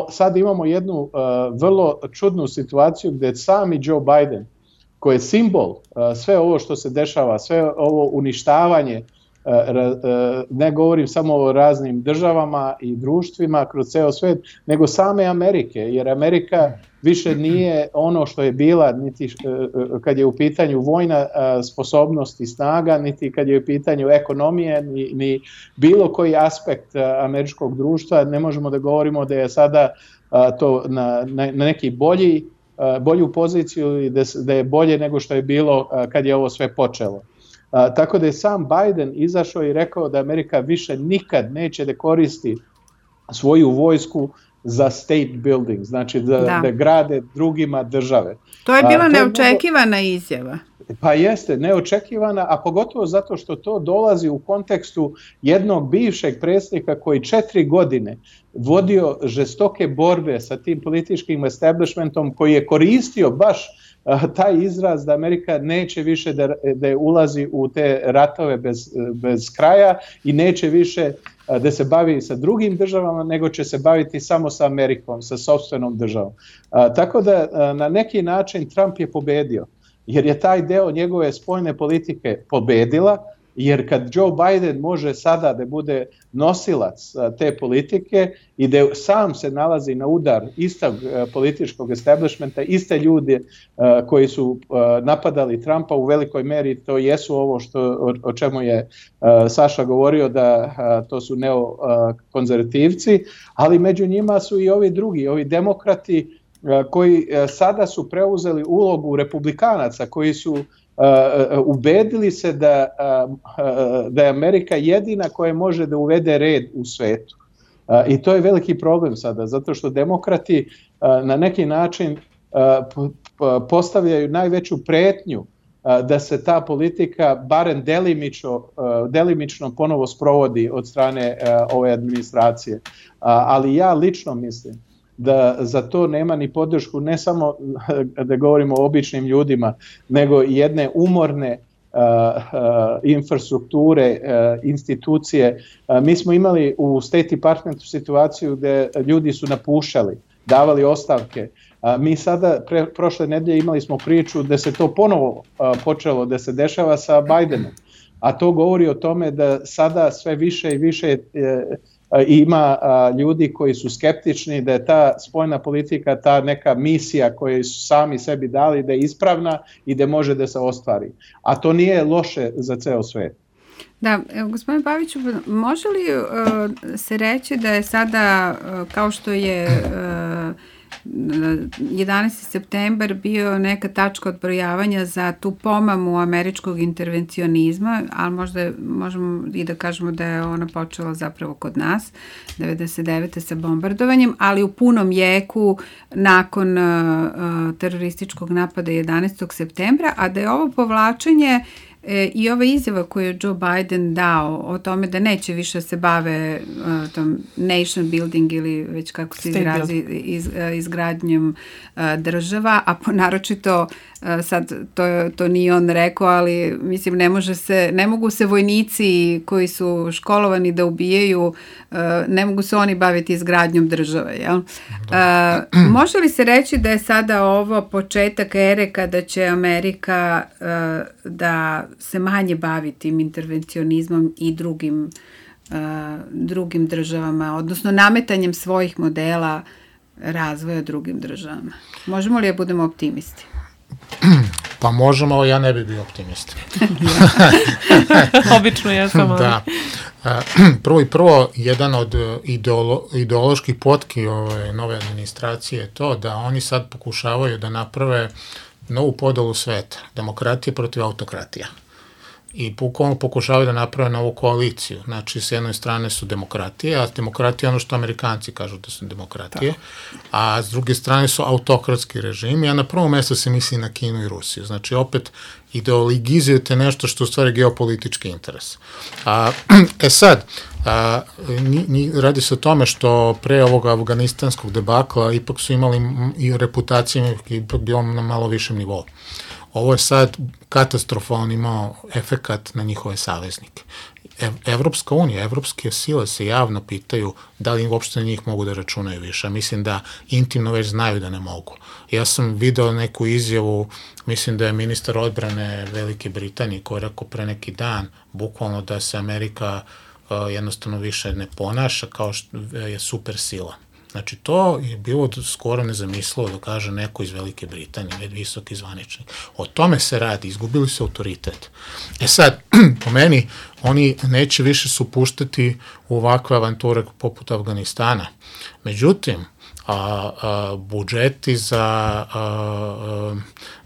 Sad imamo jednu vrlo čudnu situaciju gdje sami Joe Biden, koji je simbol sve ovo što se dešava, sve ovo uništavanje, ne govorim samo o raznim državama i društvima kroz ceo svijet, nego same Amerike, jer Amerika više nije ono što je bila niti kad je u pitanju vojna sposobnost i snaga, niti kad je u pitanju ekonomije, ni bilo koji aspekt američkog društva. Ne možemo da govorimo da je sada to na neki bolju poziciju i da je bolje nego što je bilo kad je ovo sve počelo. Tako da je sam Biden izašao i rekao da Amerika više nikad neće da koristi svoju vojsku za state building, znači da grade drugima države. To je bila neočekivana izjava. Pa jeste, neočekivana, a pogotovo zato što to dolazi u kontekstu jednog bivšeg predsjednika koji 4 godine vodio žestoke borbe sa tim političkim establishmentom, koji je koristio baš taj izraz da Amerika neće više da ulazi u te ratove bez kraja i neće više da se bavi sa drugim državama, nego će se baviti samo sa Amerikom, sa sopstvenom državom. Tako da na neki način Trump je pobedio, jer je taj deo njegove spoljne politike pobedila, jer kad Joe Biden može sada da bude nosilac te politike i da sam se nalazi na udar istog političkog establishmenta, iste ljude koji su napadali Trumpa u velikoj meri, to jesu ovo o čemu je Saša govorio, da to su neokonzervativci, ali među njima su i ovi drugi, ovi demokrati koji sada su preuzeli ulogu republikanaca, koji su ubedili se da je Amerika jedina koja može da uvede red u svetu. I to je veliki problem sada, zato što demokrati na neki način postavljaju najveću pretnju da se ta politika barem delimično ponovo sprovodi od strane ove administracije. Ali ja lično mislim da za to nema ni podršku, ne samo da govorimo o običnim ljudima, nego i jedne umorne infrastrukture, institucije. Mi smo imali u State Departmentu situaciju gde ljudi su napuštali, davali ostavke. Mi sada, prošle nedelje imali smo priču da se to ponovo počelo da se dešava sa Bidenom. A to govori o tome da sada sve više i više ima ljudi koji su skeptični da je ta spoljna politika, ta neka misija koju su sami sebi dali, da je ispravna i da može da se ostvari. A to nije loše za ceo svet. Da, gospodine Paviću, može li se reći da je sada, kao što je 11. septembar bio neka tačka odbrojavanja za tu pomamu američkog intervencionizma, ali možda možemo i da kažemo da je ona počela zapravo kod nas 99. sa bombardovanjem, ali u punom jeku nakon terorističkog napada 11. septembra, a da je ovo povlačenje i ova izjava koju je Joe Biden dao o tome da neće više se bave tom nation building ili već kako se izrazi izgradnjom država, a naročito sad to nije on rekao, ali mislim ne mogu se vojnici koji su školovani da ubijaju, ne mogu se oni baviti izgradnjom države. Jel? Može li se reći da je sada ovo početak ere kada će Amerika da se manje bavi tim intervencionizmom i drugim državama, odnosno nametanjem svojih modela razvoja drugim državama? Možemo li da budemo optimisti? Pa možemo, ali ja ne bi bio optimista. Obično jesam. Da. Prvo, jedan od ideoloških potki ove nove administracije je to da oni sad pokušavaju da naprave novu podelu sveta, demokratije protiv autokratija. I pokušavaju da naprave novu koaliciju. Znači, s jedne strane su demokratije, a demokratije je ono što Amerikanci kažu da su demokratije, a s druge strane su autokratski režimi, a na prvom mjestu se misli na Kinu i Rusiju. Znači, opet ideologizujete nešto što je u stvari geopolitički interes. Sad, radi se o tome što pre ovog afganistanskog debakla ipak su imali i reputaciju ipak bilo na malo višem nivou. Ovo je sad katastrofalno imao efekat na njihove saveznike. Evropska unija, evropske sile se javno pitaju da li uopšte na njih mogu da računaju više. Mislim da intimno već znaju da ne mogu. Ja sam video neku izjavu, mislim da je ministar odbrane Velike Britanije koji je rekao pre neki dan, bukvalno da se Amerika jednostavno više ne ponaša kao što je super sila. Znači, to je bilo skoro nezamislivo da kaže neko iz Velike Britanije, visoki zvaničnik. O tome se radi, izgubili su autoritet. Sad, po meni, oni neće više se upuštati u ovakve avanture poput Afganistana. Međutim, budžeti za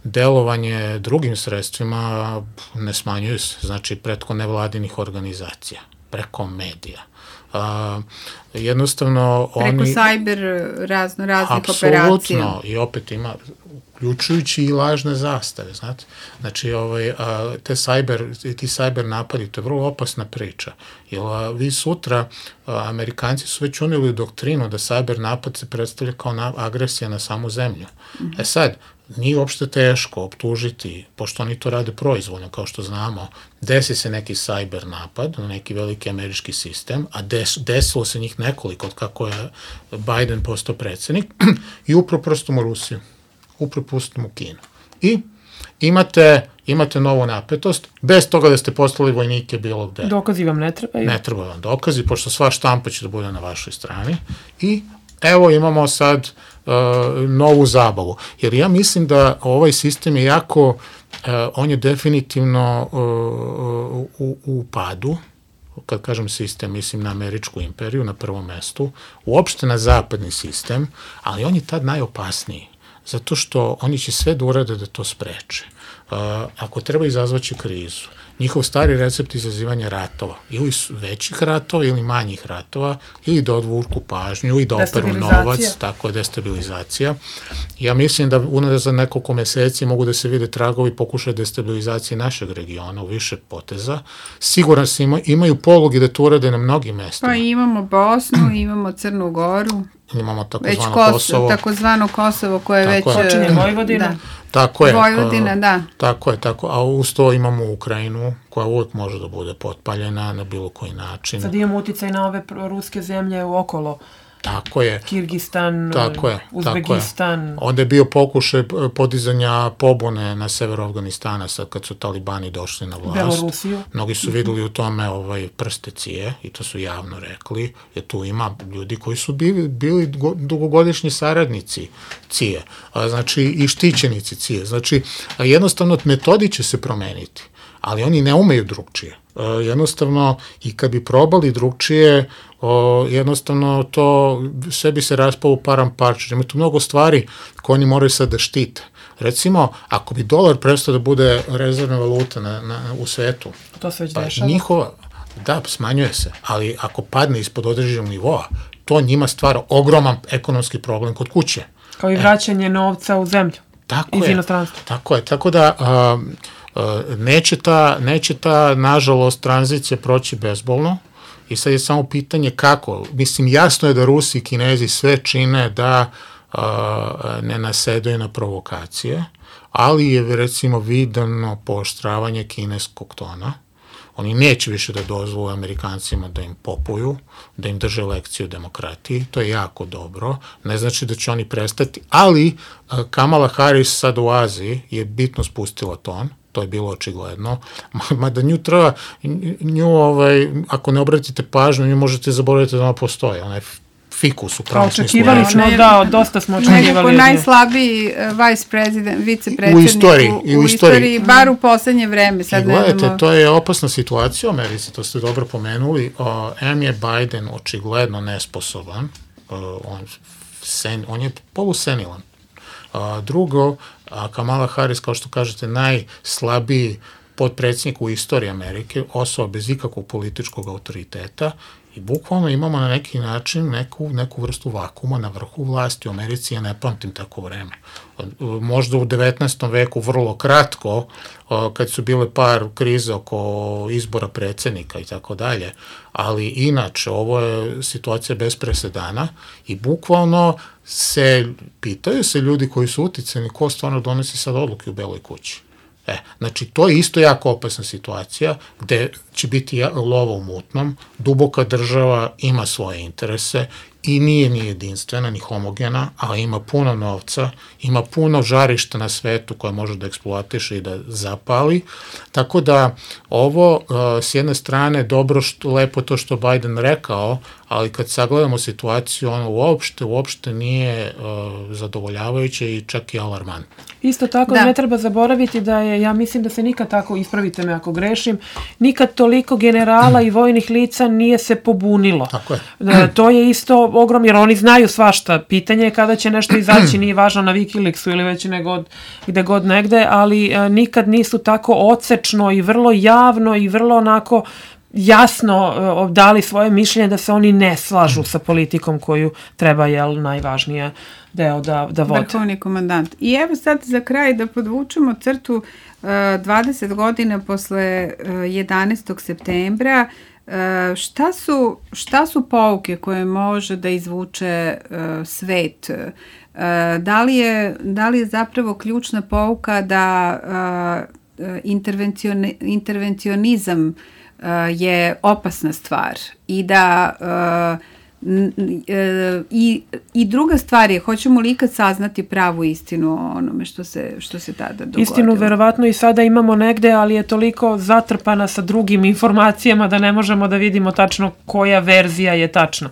delovanje drugim sredstvima ne smanjuju se, znači preko nevladinih organizacija, preko medija. Jednostavno preko cyber raznih operacija. Apsolutno, i opet ima uključujući i lažne zastave, znate. Znači, ti cyber napadi, to je vrlo opasna priča. Jer vi sutra, Amerikanci su već unijeli doktrinu da cyber napad se predstavlja kao agresija na samu zemlju. Sad, nije uopšte teško optužiti, pošto oni to rade proizvoljno, kao što znamo, desi se neki cyber napad na neki veliki američki sistem, a desilo se njih nekoliko od kako je Biden postao predsjednik, i upropustimo Rusiju, upropustimo Kinu. I imate novu napetost, bez toga da ste poslali vojnike bilo gde. Dokazi vam ne trebaju. Ne treba vam dokazi, pošto sva štampa će da bude na vašoj strani. I evo imamo sad novu zabavu. Jer ja mislim da ovaj sistem je jako, on je definitivno u padu. Kad kažem sistem, mislim na američku imperiju na prvom mestu, uopšte na zapadni sistem, ali on je tad najopasniji. Zato što oni će sve da urade da to spreče. Ako treba izazvaći krizu, njihov stari recept izazivanja ratova, ili većih ratova ili manjih ratova, ili da odvuku pažnju, ili da operu novac, tako je destabilizacija. Ja mislim da za nekoliko meseci mogu da se vide tragovi pokušaja destabilizacije našeg regiona u više poteza. Siguran se imaju poluge da to urade na mnogim mestima. Pa imamo Bosnu, imamo Crnu Goru. Imamo takozvano Kosovo. Takozvano Kosovo koje je već... Počinje Vojvodina. Tako je. Vojvodina, da. Tako je, a uz to imamo Ukrajinu, koja uvijek može da bude potpaljena na bilo koji način. Sad imamo uticaj na ove ruske zemlje okolo. Tako je. Kirgistan, Uzbekistan. Onda je bio pokušaj podizanja pobune na severu Afganistana, sad kad su talibani došli na vlast. Belorusiju. Mnogi su videli u tome prste Cije, i to su javno rekli, jer tu ima ljudi koji su bili dugogodišnji saradnici Cije, znači i štićenici Cije. Znači, jednostavno metodi će se promeniti, ali oni ne umeju drugčije. Jednostavno, i kad bi probali drugčije, jednostavno to sve bi se raspalo u paramparče. Ima tu mnogo stvari koje oni moraju sad da štite. Recimo, ako bi dolar prestao da bude rezervna valuta u svetu, to se već dešava. Da, smanjuje se, ali ako padne ispod određenog nivoa, to njima stvara ogroman ekonomski problem kod kuće. Kao i vraćanje novca u zemlju. Iz inostranstva. Tako je, tako da neće ta, nažalost, tranzicija proći bezbolno, i sad je samo pitanje kako. Mislim, jasno je da Rusi i Kinezi sve čine da ne nasedaju na provokacije, ali je, recimo, vidano pooštravanje kineskog tona. Oni neće više da dozvole Amerikancima da im popuju, da im drže lekciju o demokratiji. To je jako dobro. Ne znači da će oni prestati, ali Kamala Harris sad u Aziji je bitno spustila ton. To je bilo očigledno. Mada ako ne obratite pažnju, nju možete zaboraviti da ona postoje. Ona je fikus u pravični slučaju. Očekivali smo, da, dosta smo očekivali. Nekako najslabiji vicepredsjednik u istoriji, bar u poslednje vreme. I gledajte, to je opasna situacija u Americi, to ste dobro pomenuli. Je Biden očigledno nesposoban, on je polusenilan. Drugo, Kamala Harris, kao što kažete, najslabiji potpredsjednik u istoriji Amerike, osoba bez ikakvog političkog autoriteta, i bukvalno imamo na neki način neku vrstu vakuma na vrhu vlasti u Americi. Ja ne pamtim tako vreme. Možda u 19. veku vrlo kratko, kad su bile par krize oko izbora predsjednika i tako dalje, ali inače ovo je situacija bez presedana i bukvalno pitaju se ljudi koji su uticani ko stvarno donosi sad odluke u Beloj kući. Znači, to je isto jako opasna situacija gde će biti lova u mutnom, duboka država ima svoje interese i nije ni jedinstvena, ni homogena, ali ima puno novca, ima puno žarišta na svetu koje može da eksploatiše i da zapali, tako da ovo s jedne strane dobro, lepo to što Biden rekao, ali kad sagledamo situaciju, ono uopšte nije zadovoljavajuće i čak i alarmantno. Isto tako, ne treba zaboraviti da je, ja mislim da se nikad tako, ispravite me ako grešim, nikad toliko generala i vojnih lica nije se pobunilo. Tako je. To je isto ogromno, jer oni znaju svašta. Pitanje je kada će nešto izaći, nije važno na Wikileaksu ili već gde god negde, ali nikad nisu tako odsečno i vrlo javno i vrlo onako jasno dali svoje mišljenje da se oni ne slažu sa politikom koju treba, najvažnije deo da vode. Vrhovni komandant. I evo sad za kraj da podvučemo crtu 20 godina posle 11. septembra. Šta su pouke koje može da izvuče svet? Da li je zapravo ključna pouka da intervencionizam je opasna stvar i da i druga stvar je, hoćemo li ikad saznati pravu istinu o onome što se tada dogodilo? Istinu verovatno i sada imamo negde, ali je toliko zatrpana sa drugim informacijama da ne možemo da vidimo tačno koja verzija je tačna.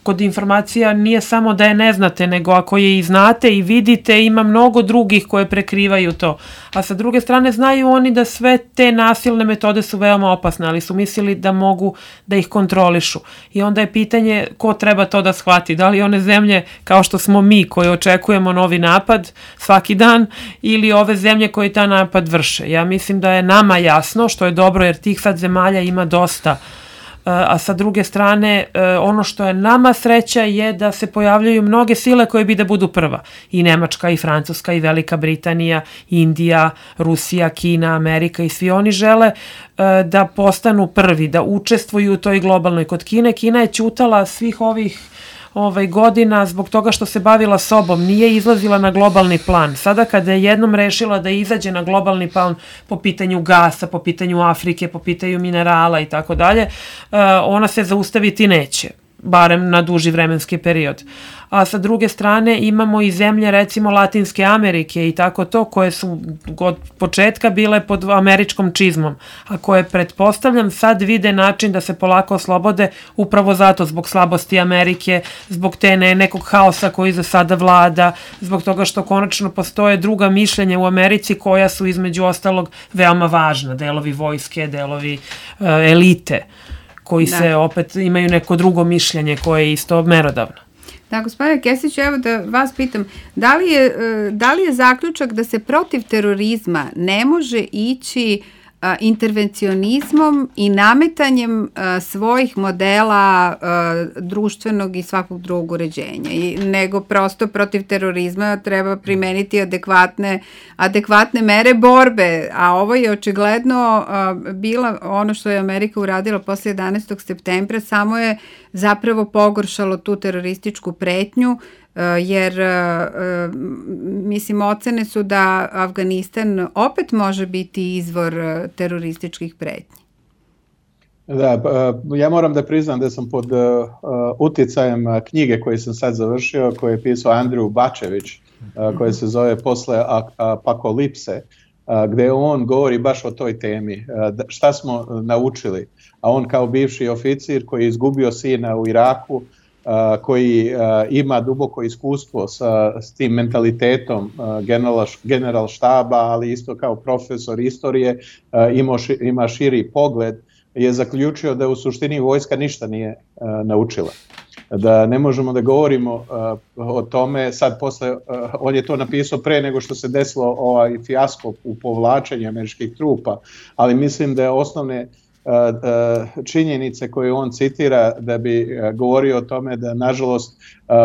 Kod informacija nije samo da je ne znate, nego ako je i znate i vidite, ima mnogo drugih koje prekrivaju to. A sa druge strane znaju oni da sve te nasilne metode su veoma opasne, ali su mislili da mogu da ih kontrolišu. I onda je pitanje ko treba to da shvati, da li one zemlje kao što smo mi koji očekujemo novi napad svaki dan ili ove zemlje koje ta napad vrše. Ja mislim da je nama jasno, što je dobro jer tih sad zemalja ima dosta, a sa druge strane ono što je nama sreća je da se pojavljaju mnoge sile koje bi da budu prva. I Nemačka, i Francuska, i Velika Britanija, Indija, Rusija, Kina, Amerika i svi oni žele da postanu prvi, da učestvuju u toj globalnoj. Kod Kine, Kina je ćutala svih ovih godina zbog toga što se bavila sobom, nije izlazila na globalni plan. Sada kada je jednom rešila da izađe na globalni plan po pitanju gasa, po pitanju Afrike, po pitanju minerala i tako dalje, ona se zaustaviti neće, barem na duži vremenski period. A sa druge strane imamo i zemlje recimo Latinske Amerike i tako to, koje su od početka bile pod američkom čizmom, a koje pretpostavljam sad vide način da se polako oslobode upravo zato, zbog slabosti Amerike, zbog te nekog haosa koji za sada vlada, zbog toga što konačno postoje druga mišljenja u Americi koja su između ostalog veoma važna, delovi vojske, delovi elite, koji se opet imaju neko drugo mišljenje koje je isto merodavno. Da, gospodine Kesić, evo da vas pitam, da li je zaključak da se protiv terorizma ne može ići intervencionizmom i nametanjem svojih modela društvenog i svakog drugog uređenja, nego prosto protiv terorizma treba primeniti adekvatne mere borbe, a ovo je očigledno bila ono što je Amerika uradila posle 11. septembra, samo je zapravo pogoršalo tu terorističku pretnju, jer mislim ocene su da Afganistan opet može biti izvor terorističkih pretnji. Da, ja moram da priznam da sam pod uticajem knjige koju sam sad završio, koju je pisao Andrew Bačević, koja se zove Posle apokalipse, gde on govori baš o toj temi, šta smo naučili, a on kao bivši oficir koji je izgubio sina u Iraku, koji ima duboko iskustvo s tim mentalitetom general štaba, ali isto kao profesor istorije, ima širi pogled, je zaključio da u suštini vojska ništa nije naučila. Da ne možemo da govorimo o tome, sad posle, on je to napisao pre nego što se desilo ovaj fijasko u povlačenju američkih trupa, ali mislim da je osnovne činjenice koje on citira da bi govorio o tome da nažalost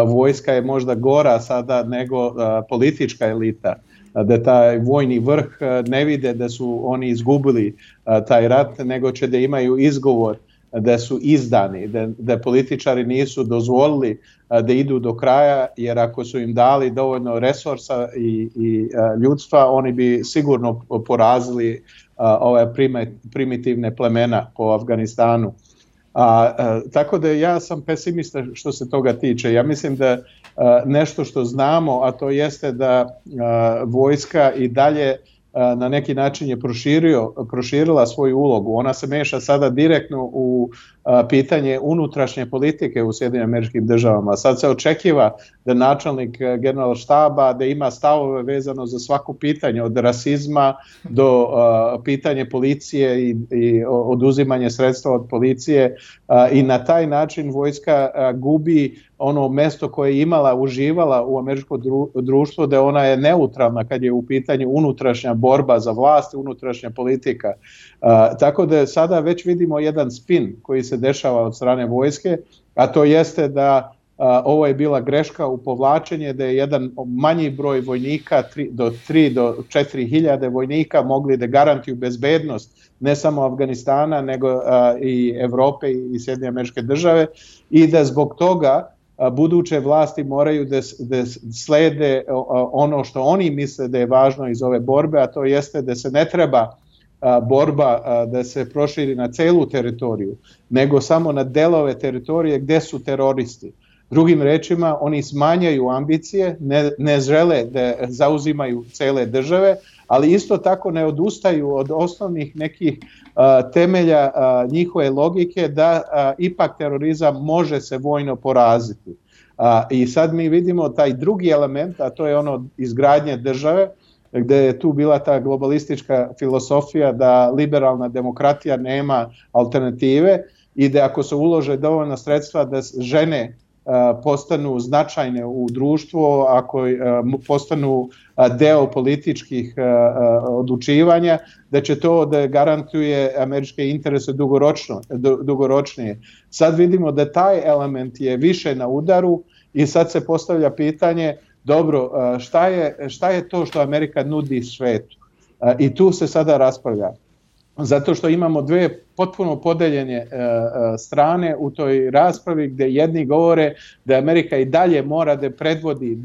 vojska je možda gora sada nego politička elita, da taj vojni vrh ne vide da su oni izgubili taj rat, nego će da imaju izgovor da su izdani, da političari nisu dozvolili da idu do kraja, jer ako su im dali dovoljno resursa i ljudstva, oni bi sigurno porazili ove primitivne plemena po Afganistanu. Tako da ja sam pesimista što se toga tiče. Ja mislim da nešto što znamo, a to jeste da vojska i dalje na neki način je proširila svoju ulogu. Ona se meša sada direktno u pitanje unutrašnje politike u Sjedinjenim Američkim Državama. Sad se očekiva da načelnik general štaba da ima stavove vezano za svako pitanje, od rasizma do pitanje policije i oduzimanje sredstva od policije, i na taj način vojska gubi ono mesto koje je uživala u američko društvo, da ona je neutralna kad je u pitanju unutrašnja borba za vlast, unutrašnja politika. Tako da sada već vidimo jedan spin koji se dešava od strane vojske, a to jeste da ovo je bila greška u povlačenje, da je jedan manji broj vojnika, 3 do 4 hiljade vojnika mogli da garantuju bezbednost ne samo Afganistana, nego i Evrope i Sjedinjene Američke Države, i da zbog toga buduće vlasti moraju da slede ono što oni misle da je važno iz ove borbe, a to jeste da se ne treba borba da se proširi na celu teritoriju, nego samo na delove teritorije gde su teroristi. Drugim rečima, oni smanjaju ambicije, ne žele da zauzimaju cele države, ali isto tako ne odustaju od osnovnih nekih temelja njihove logike da ipak terorizam može se vojno poraziti. I sad mi vidimo taj drugi element, a to je ono izgradnje države, gde je tu bila ta globalistička filosofija da liberalna demokratija nema alternative i da ako se ulože dovoljna sredstva da žene postanu značajne u društvu, ako postanu deo političkih odlučivanja, da će to da garantuje američke interese dugoročnije. Sad vidimo da taj element je više na udaru i sad se postavlja pitanje, dobro, šta je to što Amerika nudi svetu? I tu se sada raspravlja. Zato što imamo dve potpuno podeljene strane u toj raspravi, gde jedni govore da Amerika i dalje mora da predvodi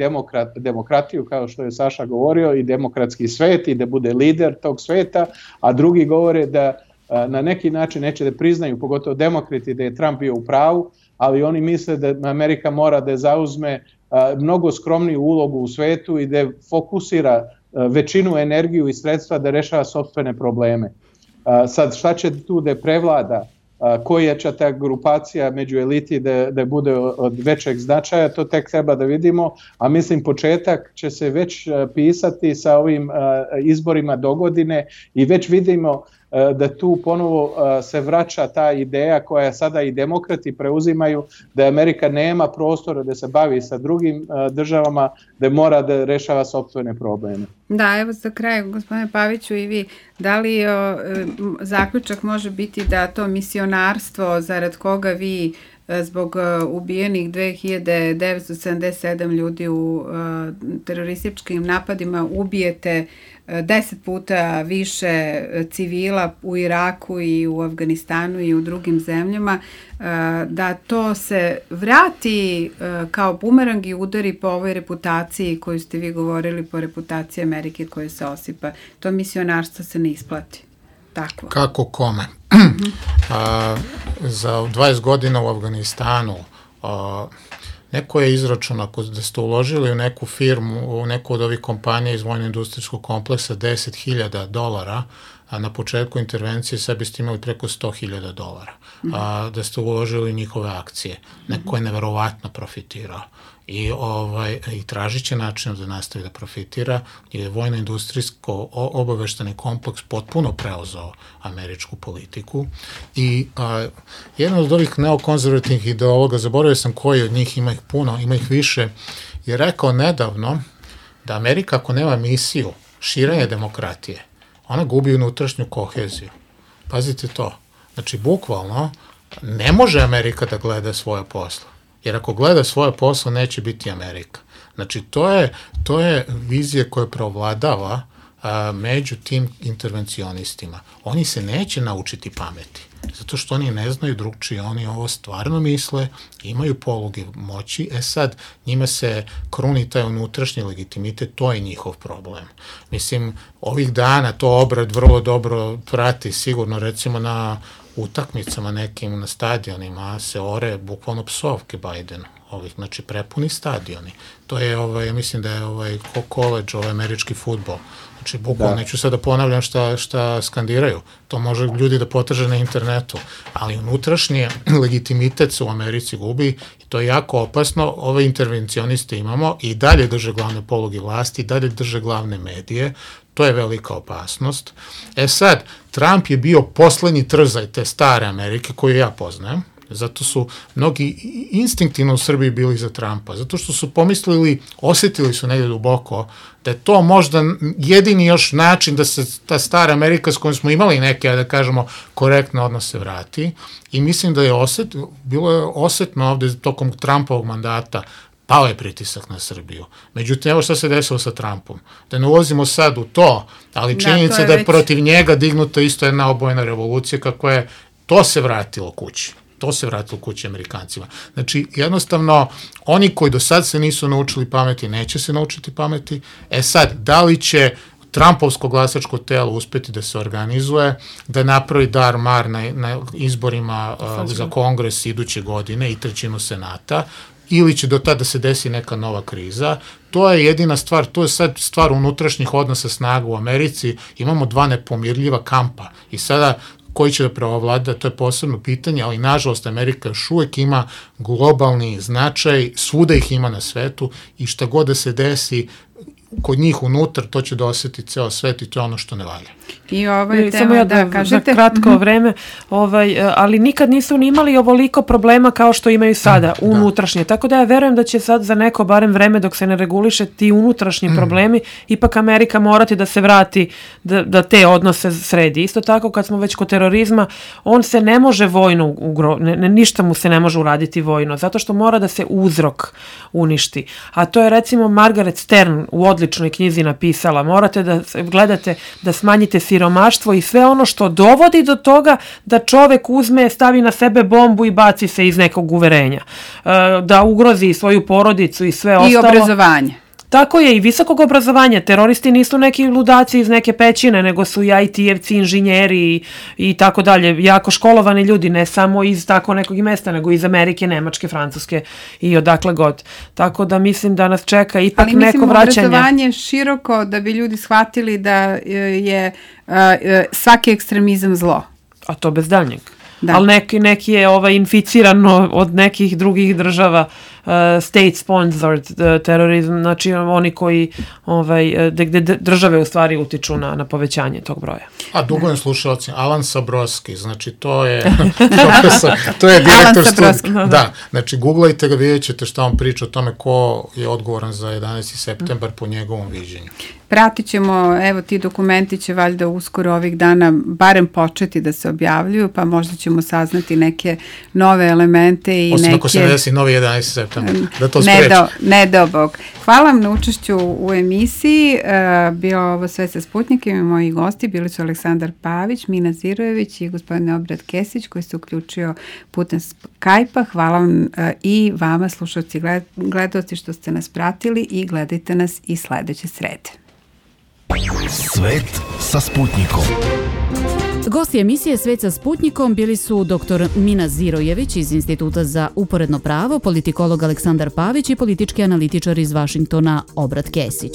demokratiju, kao što je Saša govorio, i demokratski svet i da bude lider tog sveta, a drugi govore da na neki način neće da priznaju, pogotovo demokrati, da je Trump bio u pravu, ali oni misle da Amerika mora da zauzme mnogo skromniju ulogu u svetu i da fokusira većinu energiju i sredstva da rešava sopstvene probleme. Sad, šta će tu da prevlada, koja će ta grupacija među eliti da bude od većeg značaja, to tek treba da vidimo, a mislim početak će se već pisati sa ovim izborima dogodine i već vidimo da tu ponovo se vraća ta ideja koja sada i demokrati preuzimaju, da Amerika nema prostora da se bavi sa drugim državama, da mora da rešava sopstvene probleme. Da, evo za kraj, gospodine Paviću, i vi, da li zaključak može biti da to misionarstvo zarad koga vi zbog ubijenih 2977 ljudi u terorističkim napadima ubijete 10 puta više civila u Iraku i u Afganistanu i u drugim zemljama, da to se vrati kao bumerang i udari po ovoj reputaciji koju ste vi govorili, po reputaciji Amerike koja se osipa. To misionarstvo se ne isplati. Tako. Kako kome? Za 20 godina u Afganistanu neko je izračunao da ste uložili u neku firmu, u neku od ovih kompanija iz vojno-industrijskog kompleksa $10.000, a na početku intervencije sad biste imali preko $100.000, da ste uložili njihove akcije. Neko je neverovatno profitirao i tražit će način da nastavi da profitira, jer je vojno-industrijsko obavešteni kompleks potpuno preuzeo američku politiku i jedan od ovih neokonzervativnih ideologa, zaboravio sam koji od njih, ima ih puno, ima ih više, je rekao nedavno da Amerika ako nema misiju širenja demokratije, ona gubi unutrašnju koheziju. Pazite to. Znači, bukvalno, ne može Amerika da gleda svoje posla. Jer ako gleda svoje posla, neće biti Amerika. Znači, to je vizija koja preovladava među tim intervencionistima. Oni se neće naučiti pameti, zato što oni ne znaju drugčije, oni ovo stvarno misle, imaju poluge moći, sad njima se kruni taj unutrašnji legitimitet, to je njihov problem. Mislim, ovih dana to Obrad vrlo dobro prati, sigurno recimo na utakmicama nekim na stadionima se ore bukvalno psovke Bidenu, znači prepuni stadioni. To je, ja mislim da je koleđ, američki fudbal. Znači, bukvalno, neću sad da ponavljam šta skandiraju. To može ljudi da potraže na internetu, ali unutrašnji legitimitet se u Americi gubi i to je jako opasno. Ove intervencioniste imamo i dalje drže glavne poluge vlasti, i dalje drže glavne medije. To je velika opasnost. Sad, Trump je bio poslednji trzaj te stare Amerike koju ja poznajem, Zato su mnogi instinktivno u Srbiji bili za Trumpa, zato što su pomislili, osetili su negdje duboko da je to možda jedini još način da se ta stara Amerika s kojom smo imali neke, da kažemo, korektne odnose vrati. I mislim da je bilo je osetno ovde tokom Trumpovog mandata, pao je pritisak na Srbiju. Međutim, evo šta se desilo sa Trumpom. Da ne ulazimo sad u to, ali činjenica da je protiv njega dignuta isto jedna obojena revolucija, kako je, to se vratilo kući. To se vratilo kući Amerikancima. Znači, jednostavno, oni koji do sad se nisu naučili pameti, neće se naučiti pameti. Sad, da li će Trumpovsko glasačko telo uspeti da se organizuje, da napravi dar-mar na izborima za Kongres iduće godine i 1/3 Senata, ili će do tada se desi neka nova kriza, to je jedina stvar, to je sad stvar unutrašnjih odnosa snaga u Americi, imamo dva nepomirljiva kampa i sada koji će da preovlada, to je posebno pitanje, ali nažalost Amerika još uvek ima globalni značaj, svuda ih ima na svetu i šta god da se desi kod njih unutar, to će da osjeti ceo svet i to je ono što ne valja. I ovo je tema da kažete. Za kratko vreme, ali nikad nisu ni imali ovoliko problema kao što imaju sada, unutrašnje. Tako da ja verujem da će sad za neko barem vreme dok se ne reguliše ti unutrašnji problemi, ipak Amerika morati da se vrati, da te odnose sredi. Isto tako kad smo već kod terorizma, on se ne može vojno, ništa mu se ne može uraditi vojno, zato što mora da se uzrok uništi. A to je recimo Margaret Stern u odličnoj knjizi napisala. Morate da gledate, da smanjite siromaštvo i sve ono što dovodi do toga da čovek uzme, stavi na sebe bombu i baci se iz nekog uverenja. Da ugrozi svoju porodicu i sve ostalo. I obrazovanje. Tako je, i visokog obrazovanja. Teroristi nisu neki ludaci iz neke pećine, nego su i IT-evci, inženjeri i tako dalje. Jako školovani ljudi, ne samo iz tako nekog mesta, nego iz Amerike, Nemačke, Francuske i odakle god. Tako da mislim da nas čeka ipak neko vraćanje. Ali mislim obrazovanje široko da bi ljudi shvatili da je svaki ekstremizam zlo. A to bez daljnjeg. Da. Ali neki je inficirano od nekih drugih država, state-sponsored terorizam, znači oni koji, gde države u stvari utiču na povećanje tog broja. A dugujem slušalci, Alan Sabroski, znači to je to je direktor studija. Da, znači googlajte ga, vidjet ćete šta on priča o tome ko je odgovoran za 11. septembar po njegovom viđenju. Pratit ćemo, evo ti dokumenti će valjda uskoro ovih dana barem početi da se objavljuju, pa možda ćemo saznati neke nove elemente i osim ako se ne desi novi 11. septembar, da to spreči. Ne do Bog. Hvala vam na učešću u emisiji. Bio ovo Sve sa Sputnikom i moji gosti bili su Aleksandar Pavić, Mina Zirojević i gospodin Obrad Kesić koji se uključio putem Skype-a. Hvala vam i vama slušalci i gledaoci što ste nas pratili i gledajte nas i sledeće srede. Svet sa Sputnikom. Gosti emisije Svet sa Sputnikom bili su dr. Mina Zirojević iz Instituta za uporedno pravo, politikolog Aleksandar Pavić i politički analitičar iz Vašingtona Obrad Kesić.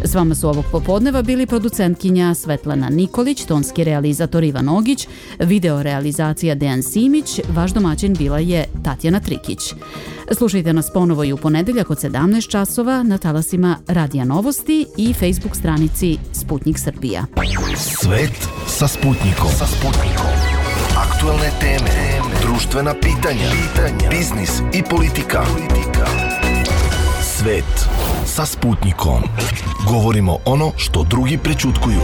S vama su ovog popodneva bili producentkinja Svetlana Nikolić, tonski realizator Ivan Ogić, video realizacija Dejan Simić, vaš domaćin bila je Tatjana Trikić. Slušajte nas ponovo i u ponedeljak od 17 časova na talasima Radija Novosti i Facebook stranici Sputnik Srbija. Svet sa Sputnikom. Aktualne teme, društvena pitanja, biznis i politika. Svet sa Sputnikom. Govorimo ono što drugi prećutkuju.